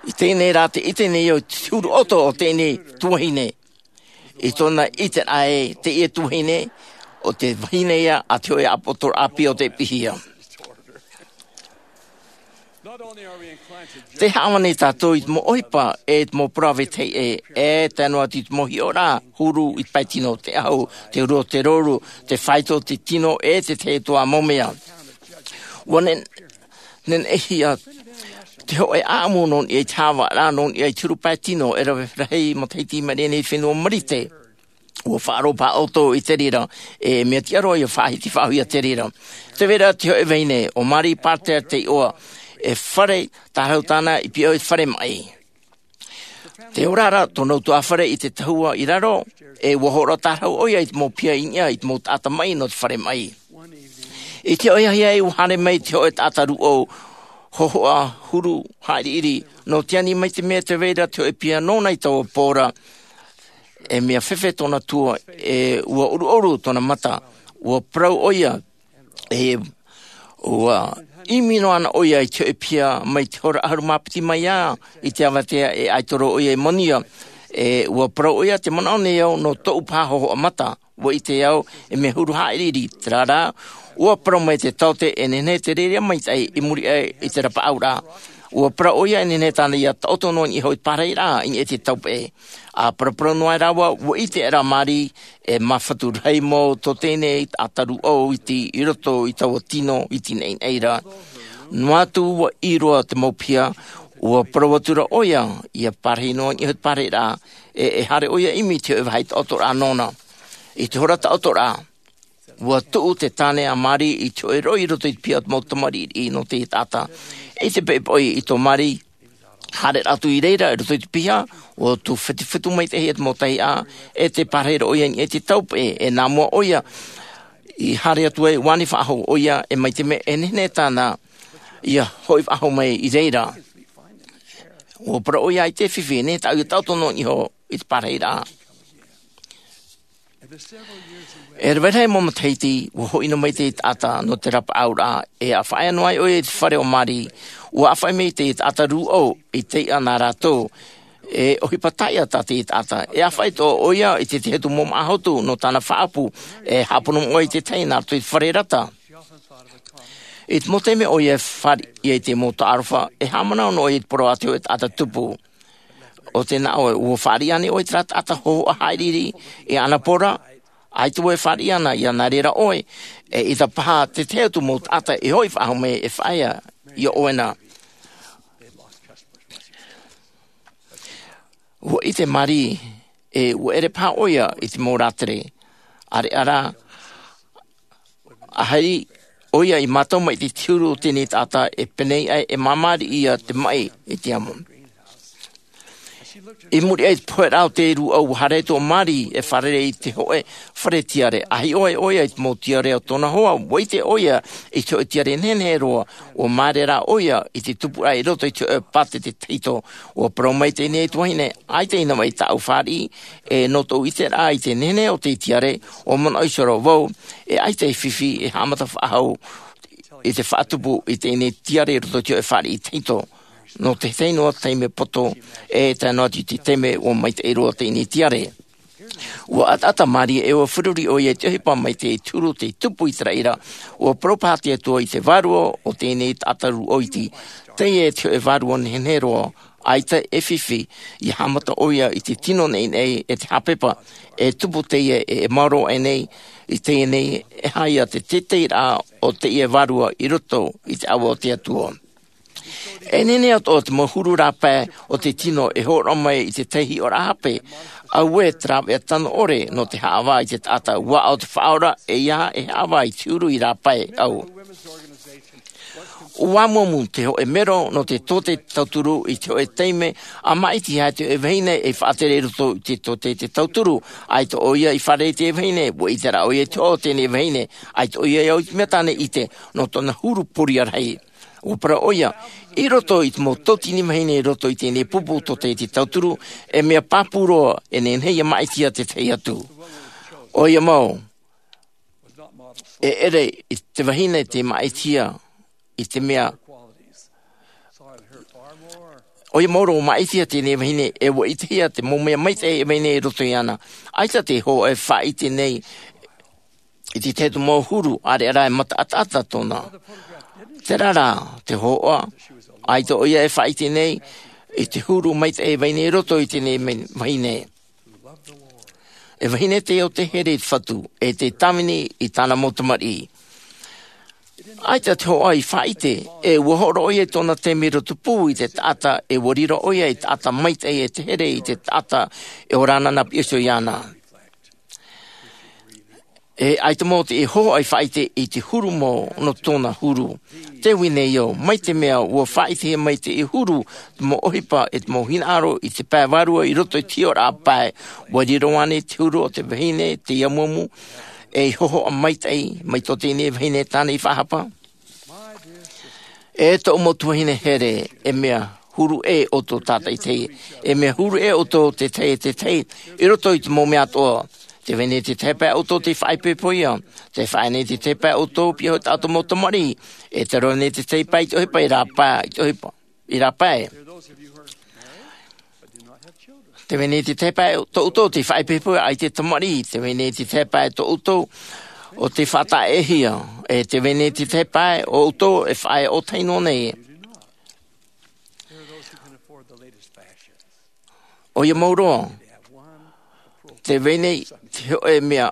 i teie nei rā te ʻite nei au i te huru ʻoto o teie nei tuahine. I tōna ʻiteraʻa ē, teie tuahine, ʻo te vahine ïa a te hōʻē ʻāpōsetolo ʻāpī o tē piʻihia. Tē haʻavā nei tātou i te mau ʻohipa, e te mau parau a vetahi ʻē, e tae noa atu i te mau hiʻoraʻa huru i te pae tino, te ʻahu, te huru o te rouru, te faito, te tino, e te tahi atoʻa mau mea. ʻUa neneʻihia te hōʻē ʻāʻamu nō niʻa i te haʻavāraʻa, nō niʻa i te huru pae tino, e rave rahi matahiti i maʻiri aʻe nei i te fenua Marite. ʻUa faʻaroʻo paha ʻoutou i te reira, e mea tiʻa roa ʻia faʻahiti faʻahou ia te reira. Tē vai ra te hōʻē vahine, ʻo Mary Parter te iʻoa, e fare tārahu tāna i pihaʻi iho i te fare maʻi. Tē ora ra tōna ʻutuāfare i te tahua i raro, e ʻua hōroʻa tārahu ʻoia i te mau piha i niʻa i te mau taʻata maʻi nō te fare maʻi. I te ʻohipa ïa ʻua haere mai te hōʻē taʻata rūʻau, hōhoʻa huru haʻiriʻiri, nō te ani mai te mea tē vai ra te hōʻē piha nōna i taua pō ra, e mea fefe tōna tua, e ʻua ʻuruʻuru tōna mata, ʻua parau ʻoia, e ʻua ʻimi noa ana ʻoia i te hōʻē piha mai te hora ʻahuru mā piti mai ā, i te avatea e ʻaita roa ʻoia i manuia, e ʻua parau ʻoia, tē manaʻo nei au nō tōʻu paha hōhoʻa mata, ʻua ʻite au, e mea huru haʻiriʻiri, terā rā, ʻua parau mai te taote e nehenehe te rērea maitaʻi i muri aʻe i te rapaʻauraʻa. ʻUa parau ʻoia e nehenehe tāna ʻia taʻoto noa i niʻa iho i te pārahiraʻa i niʻa i te taupeʻe. ʻA paraparau noa ai rāua, ʻua ʻite aʻera Mary, e māfatu rahi mau tō teie nei taʻata rūʻau iti i roto i taua tino iti naʻinaʻi ra. Noa atu ʻua ʻī roa te mau piha, ʻua parau atu ra ʻoia, ʻia pārahi noa i niʻa iho i te pārahiraʻa, e, e haere ʻoia ʻimi i te hōʻē vāhi taʻotoraʻa nōna. I te hora taʻotoraʻa, ʻua tuʻu te tāne a Mary i te hōʻē roʻi i roto i te piha o te mau tamariʻi nō teie taʻata. I te poʻipoʻi i tō Mary, haere atu i reira i roto i te piha, ʻua tū fetuфetu maitaʻi te mau tahiʻa, e tē pārahi ra ʻoia i niʻa i te taupeʻe, e nā mua ʻoia, i haere atu ai ua ani faʻahou ʻo ia e mai te mea e nehenehe tāna ia hoʻi faʻahou mai i reira. Ua parau ʻo ia i te fifi e nehenehe tāʻu ia taʻoto noa iho i te parahiraʻa. E rave rahi mau matahiti ua hoʻi noa mai te taʻata nō te rapaʻauraʻa e faʻaea noa ai ʻo ia i te fare o mari. Ua ʻāfaʻi mai te taʻata rūʻau i te iʻa nā rātou e ʻohipa taʻia tā te taʻata e ʻāfaʻi atoʻa ʻo ia i te tahi atu mau māʻa hotu nō tāna faʻaʻapu e haʻapono moʻa i te tahi nā roto i te fare rata. I te mau taime ʻo ia e fāriʻi ai te mau taʻarofa e haʻamanaʻo noa ʻo ia i te parau a te hoʻe taʻata tupu. ʻO tē nā ʻoe ua fāriʻi ānei ʻoe i terā taʻata hōhoʻa haʻiriʻiri i ana pora? ʻAita ʻoe e fāriʻi ana ia nā reira ʻoe e ʻita paha te tahi atu mau taʻata e hoʻi faʻahou mai e faʻaea iā ʻoe na. Ua ʻite mari e ua ʻere paha ʻo ia i te mau rātere. ʻAreʻa rā a haere ʻo ia i mātau mai i te huru o teie taʻata e pēnei ai e māmāriʻi ia te maʻi i te amo. I muri aʻe i te poheraʻa o te rūʻau ua haere atu ʻo mari e fārerei i te hoʻe fare tiare a hiʻo ai ʻo ia i te mau tiare o tōna hoa ua ʻite ʻo ia i te hoʻe tiare nehenehe roa. Ua māere rā ʻo ia i te tupuraʻa i roto i te hoʻe pātete tahito. Ua parau mai teie nei tuahine ʻaita i nā mai tāʻu fāriʻi e nō tōʻu ʻiteraʻa i te nehenehe o te tiare ua manaʻo iho roa vau e ʻaita e fifi e haʻamata faʻahou i te faʻatupu i teie tiare i roto i te hoʻe fāriʻi tahito. Nō te tahi noa taime poto e tae noa atu i te taime ua maitaʻi roa teie tiare. Ua ʻataʻata mari e ua feruri ʻo ia i te ʻohipa mai te huru o te tupu i te raʻi ra. Ua parau paha te atua i te vārua o teie taʻata rūʻau iti teie e te hoʻe vārua nehenehe roa. ʻAita e fifi ia haʻamata ʻo ia i te tino neʻineʻi e te hāpepa e tupu teie e e maoro aʻe nei i teie nei e haʻa ia te teiteiraʻa o teie vārua i roto i te ʻava o te atua. E nehenehe atoʻa te mau huru rāpae o te tino e hōroʻa mai i te tahi hiʻoraʻa hape. Auē te rāveʻa tano ʻore nō te haʻavā i te taʻata ua ʻau te faʻaora e ia e haʻavā i te huru i rāpae au. Ua amuamu te hoʻe mero nō te tōtē te tauturu i te hoʻe taime a māʻiti ia te hoʻe vahine e faʻatere i roto i te tōtē te tauturu. ʻAita ʻo ia i fārerei i te vahine ua ʻite rā ʻo ia i te hoʻo o teie vahine. ʻAita ʻo ia i au i te mea tāna e ʻite nō tōna huru poria rahi. Ua parau ʻo ia i roto i te mau tauatini vahine i roto i teie pupu tōtē te tauturu e mea pāpū roa e nehenehe ia māʻiti ia te tahi atu. ʻO ia mau e ʻere i te vahine te māʻiti ia i te mea ʻo ia mau roa māʻiti ia teie vahine e ua ʻitehia te mau mea maitaʻi e vahine i roto iāna. ʻAita te hoʻo e faʻaʻite nei i te tahi atu mau huru ʻareʻa rā e mata ʻataʻata tōna. Terā rā te hoʻo ʻaita ʻo ia e faʻaʻite nei i te huru maitaʻi e vahine i roto i teie vahine. E vahine teie o te here i te fatu e te tāvini i tāna mau tamariʻi. ʻAita te hoʻo i faʻaʻite e ua hōroʻa ia i tōna taime i roto pū i te taʻata e ua riro ʻo ia i taʻata maitaʻi e te here i te taʻata e ora ana nā piʻi iho iāna. E ʻaita mau te hoʻo i faʻaʻite i te huru mau nō tōna huru. Te vahine io mai te mea ua faʻaʻitehia mai te huru te mau ʻohipa e te mau hinaʻaro i te pae vārua i roto i te hiʻoraʻa pae. Ua riro ānei te huru o te vahine te amuamu e i hohoʻa maitaʻi mai tō teie vahine tāna i faʻahapa? E tōʻu mau tuahine here, e mea huru ʻē ʻoutou tātaʻitahi, e mea huru ʻē ʻoutou te tahi e te tahi i roto i te mau mea atoʻa. Te vahine te tahi pae ʻoutou te faʻaipoipo ia, te faʻaea nei te tahi pae ʻoutou pia hoʻi tātou mau tamariʻi, e te roa nei te tahi pae i te ʻohipa i rāpae i te ʻohipa i rāpae. Te vahine te tahi pae tōʻoutou te faʻaipoipo ʻaita e tamariʻi, te vahine te tahi pae tōʻoutou o te faʻataʻehia, e te vahine te tahi pae ʻoutou e faʻaea ʻōtahi noa nei. ʻO ia mau roa te vahine te hoʻe mea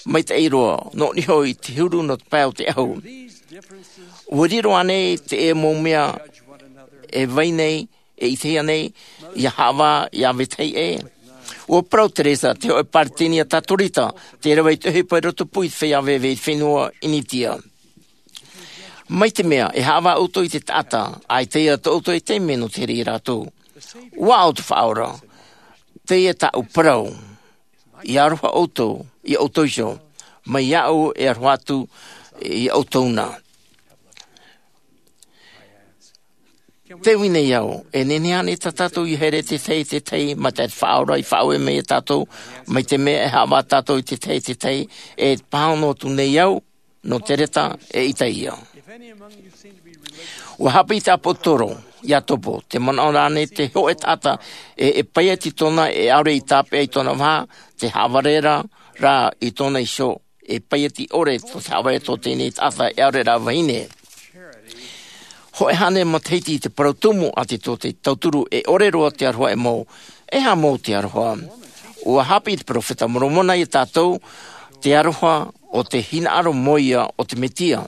maitaʻi roa nō niho i te huru nō te pae o te ʻahu. Ua riro ānei te ʻē mau mea e vai nei e ʻitehia nei ia haʻavā ia vetahi ʻē? Ua parau teresa te hoʻe paritenia tatorita te rave i te ʻohipa i roto pū i te feiā veve i te fenua initia. Mai te mea e haʻavā ʻoutou i te taʻata ʻaita ia tōʻoutou e taime nō te here iā rātou. Ua ʻau te faʻaora. Teie tāʻu parau. Ia aroha ʻoutou iā ʻoutou iho. mai iāʻu e aroha atu iā ʻoutou na. Te ui nei au, e nehenehe ānei tā tātou ia haere te tahi te tahi mai te faʻaora i faʻaue mai iā tātou, mai te mea e haʻavā tātou i te tahi te tahi? E pāhono atu nei au nō te reta e ʻita ia. Ua haʻapiʻi te ʻāpōsetolo iā topo, te manaʻo rānei te hoʻe taʻata e e paiati tōna e ʻaore i tāpeʻa i tōna vaha, te haʻavare rā i tōna iho, e paiati ʻore tō te haʻavare tō teie taʻata e ʻaore rā vahine. Hoʻe hānere matahiti i te parau tumu a te tō te tauturu e ʻore roa te aroha e mau. E aha mau te aroha? Ua haʻapiʻi te peropheta Moromona iā tātou te aroha o te hinaʻaro mau ia o te Mesia.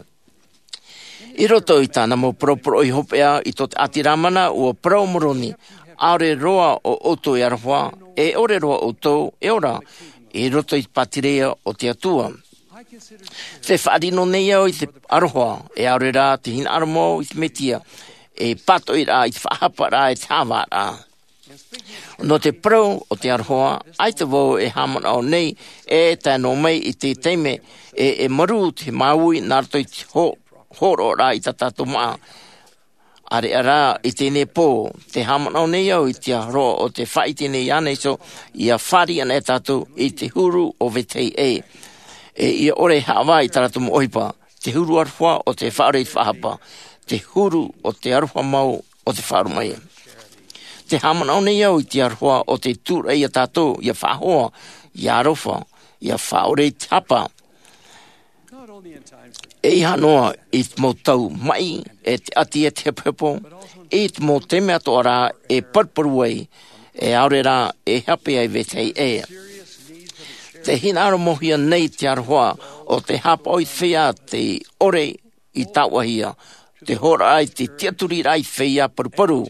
I roto i tāna mau poroporoʻi hopeʻa i tō te ʻāti Lamana, ua parau Moroni, ʻaore roa ʻo ʻoutou e aroha, e ʻore roa ʻoutou e ora i roto i te pātireia o te Atua. Te faʻarino nei au i te aroha e ʻaore rā te hinaʻaro mau i te Mesia, e pātoʻi rā i te faʻahapa rā e te haʻavā rā. Nō te parau o te aroha, ʻaita vau e haʻamanaʻo nei e tae noa mai i te taime e e marū te māuiui nā roto i te hōroʻa i tā tātou māʻa. ʻAreʻa rā i teie pō, te haʻamanaʻo nei au i te aroha o te faʻaʻite nei iāna iho, ia fāriʻi ana e tātou i te huru o vetahi ʻē. E ia ʻore e haʻavā i tā rātou mau ʻohipa, te huru aroha o te faʻaʻore i te faʻahapa, te huru o te aroha mau o te faʻaromaʻi. Te haʻamanaʻo nei au i te aroha o te tūraʻi iā tātou ia faʻahoa, ia aroha, ia faʻaʻore i te hapa. E ʻeiaha noa i te mau tau maʻi e te ʻati e te hepohepo, i te mau taime atoʻa rā e paruparu ai, e ʻaore rā e hape ai vetahi ʻē. Te hinaʻaro mau hia nei te aroha o te haʻapaʻo i te feiā te ʻore i tāuʻahia, te hōroʻa i te tiʻaturi rā i te feiā paruparu,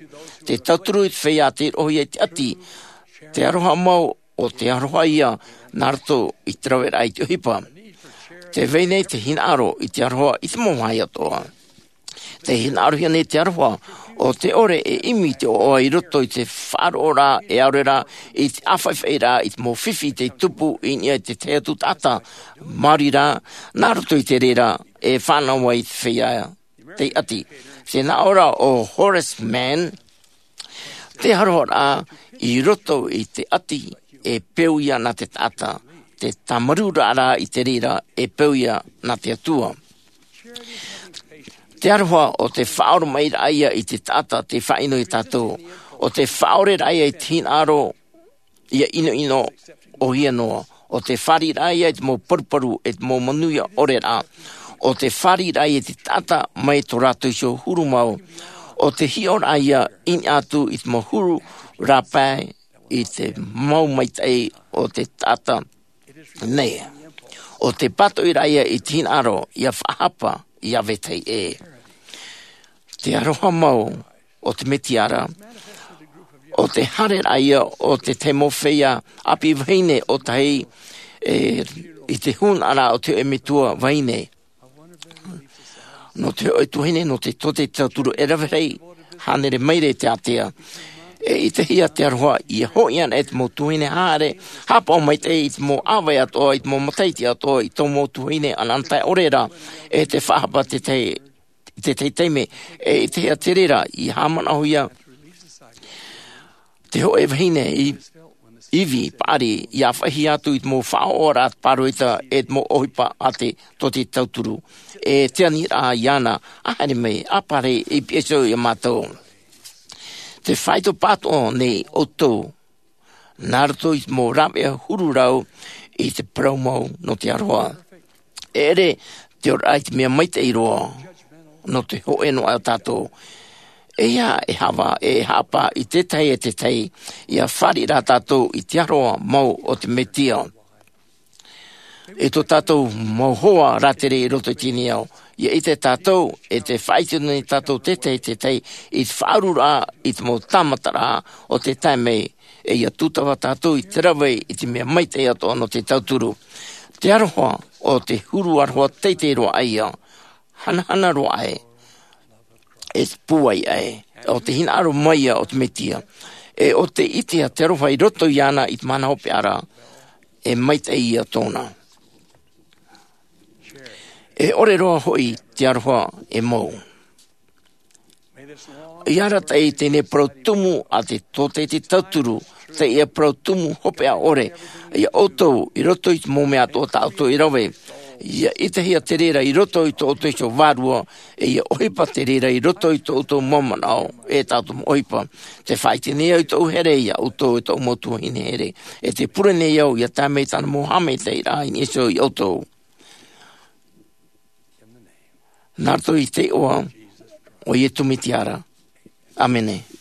te tauturu i te feiā tei roʻohia i te ʻati, te aroha mau o te aroha ia nā roto i te raveraʻa i te ʻohipa. Te vai nei te hinaʻaro i te aroha i te mau vāhi atoʻa. Te hinaʻaro hia nei te aroha o te ʻore e ʻimi i te ʻoaʻoa i roto i te faʻaroʻo rā e ʻaore rā i te ʻāfaʻifaʻi rā i te mau fifi tei tupu i niʻa i te tahi atu taʻata, maori rā, nā roto i te reira e fānaʻo ai i te feiā tei ʻati. Te nā ʻō ra o Horace Mann, te aroha rā i roto i te ʻati e peu ia nā te taʻata, te tāmarū rā i te reira e peu ia nā te Atua. Te aroha o te faʻaoromaʻi rā ia i te taʻata tei faʻaʻino iā tātou, o te faʻaʻore rā ia i te hinaʻaro ia ʻinoʻino ʻōhie noa, o te fāriʻi rā ia i te mau paruparu e te mau manuia ʻore rā, o te fāriʻi rā ia i te taʻata mai tō rātou iho huru mau, o te hiʻo rā ia i niʻa atu i te mau huru rāpae i te mau maitaʻi o te taʻata nei, o te pātoʻi rā ia i te hinaʻaro ia faʻahapa ia vetahi ʻē. Te aroha mau o te Mesia ra, o te haere rā ia o te tahi mau feiā ʻāpī vahine o tahi, e, i te hūnaʻara o te hōʻē metua vahine. Nō te hōʻē tuahine, nō te tō te tauturu e rave rahi hānere maira i te ātea. E ʻitehia te aroha ia hoʻi ana e te mau tuahine haere, haʻapaʻo maitaʻi i te mau ʻāvae atoʻa, i te mau matahiti atoʻa, i tō mau tuahine anaanatae ʻore ra, e te faʻahapa te tahi, te tahi taime, e ʻitehia te reira, i haʻamanaʻohia te hōʻē vahine i ivi paʻari, i ʻāfaʻihia atu i te mau faʻaʻoʻoraʻa pāroita e te mau ʻohipa a te tō te tauturu. E te aniraʻa iāna, a haere mai, a pārahi, i piha iho iā mātou. Te faito pātoʻa nei ʻoutou, nā roto i te mau rāveʻa huru rau i te parau mau nō te aroha. E ʻere te oraraʻa i te mea maitaʻi roa nō te hōʻē noa tātou. E ia e hava, e haʻapa i te tahi e te tahi, ia fāriʻi rā tātou i te aroha mau o te Mesia. I tō tātou mau hoa rātere i roto i teie nei ao, ia ʻite tātou, e te faʻaʻite nei tātou te tahi e te tahi, i te faʻaururaʻa, i te mau tāmataraʻa o te tae mai, e ia tūtava tātou i te rave i te mea maitaʻi atoʻa nō te tauturu. Te aroha o te huru aroha teitei roa ʻaia, hanahana roa ʻē, e te pūai ʻē, o te hinaʻaro mai ia o te Mesia, e o te ʻitehia te aroha i roto iāna i te mahana hopeʻa ra, e maitaʻi ia tōna. E ʻore roa hoʻi te aroha e mau. ʻIa arataʻi teie parau tumu a te tōtaiete tauturu, teie parau tumu hopeʻa ʻore, ia ʻoutou i roto i te mau mea atoʻa tā ʻoutou e rave, ia ʻitehia te reira i roto i tō ʻoutou iho vārua, e ia ʻohipa te reira i roto i tō ʻoutou mau manaʻo, e tā ʻoutou mau ʻohipa. Tē faʻaʻite nei au i tōʻu here ia ʻoutou e tōʻu mau tuahine here, e tē pure nei au ia tae mai tāna mau haʻamaitaʻiraʻa i niʻa iho ia ʻoutou. Nā roto i te iʻoa o Iesu Mesia. ʻĀmene.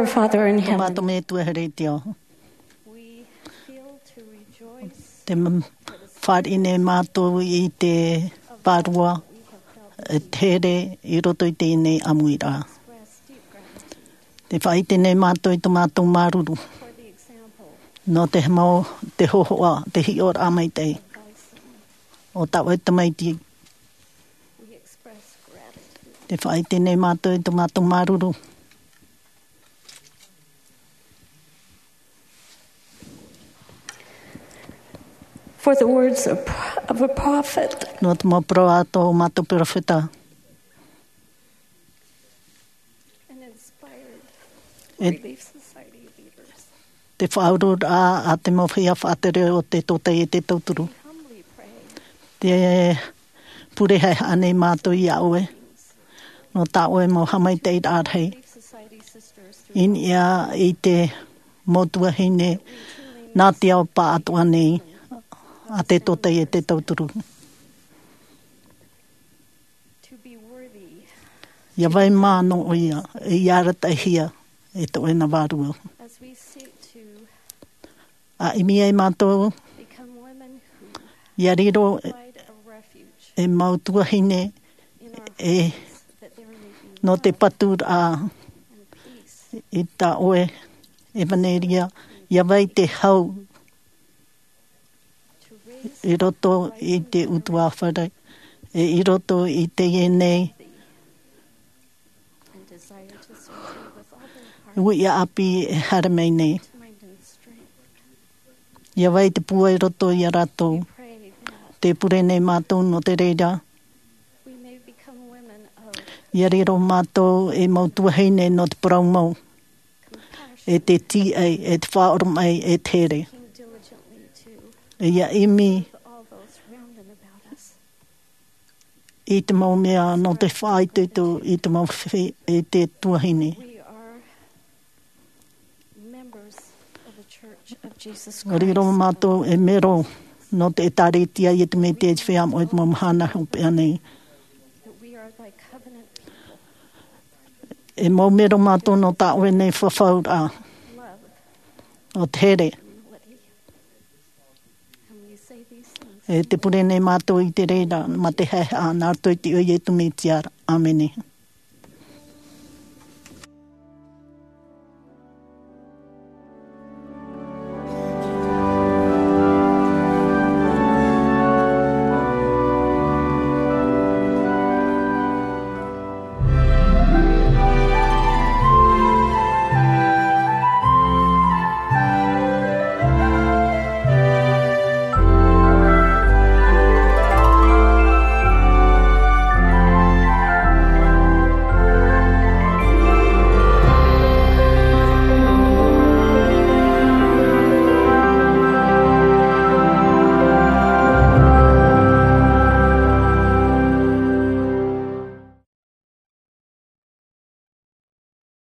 Our Father in Tō heaven, mātou Metua here i te ao. We feel to rejoice Te m-, fāriʻi nei mātou i te vārua, e te here i roto i teie nei ʻāmuiraʻa. Te faʻaʻite nei mātou i tō mātou māuruuru. Nō te mau, te hōhoʻa, te hiʻoraʻa maitaʻi. O tā ʻoe tamaiti. Te faʻaʻite nei mātou i tō mātou māuruuru. For the words of, of a prophet. Nō te mau parau a tō mātou peropheta. An inspired E Relief Society leaders. Te faʻauruuraʻa a te mau feiā faʻatere o te tōtaiete tauturu. Te pure haʻehaʻa nei mātou iā ʻoe. Nō tā ʻoe mau haʻamaitaʻiraʻa rahi. I niʻa i te mau tuahine nā te ao pāʻatoʻa nei a te tōtaiete tauturu. ʻIa vai māʻa nō ʻoia, e ʻia arataʻihia e tō ʻoe nā vārua. A ʻimi ai mātou, ʻia riro e mau tuahine e, nō te paturaʻa i tā ʻoe ʻevaneria, ʻia vai te hau i roto i te ʻutuāfare, e i roto i teie nei uiʻa ʻāpī e haere mai nei. ʻIa vai te pūai i roto iā rātou. Te pure nei mātou nō te reira. ʻIa riro mātou e mau tuahine nō te parau mau, e te tīaʻi, e te faʻaoromaʻi, e te here. ʻIa ʻimi i te mau mea nō te faʻaitoito i te mau fe-, i te tuahine. Members of the Church of Jesus Christ. Riro mātou e mero nō te ʻĒtārētia a Iesu Mesia i te feiā moʻe i te mau mahana hopeʻa nei. That we are thy covenant people. E mau mero mātou nō tā ʻoe nei fafauraʻa. Love. O te here. Humility. And we say these things. E te pure nei mātou i te reira, mā te haʻehaʻa, nā roto i te iʻoa o Iesu Mesia. ʻĀmene.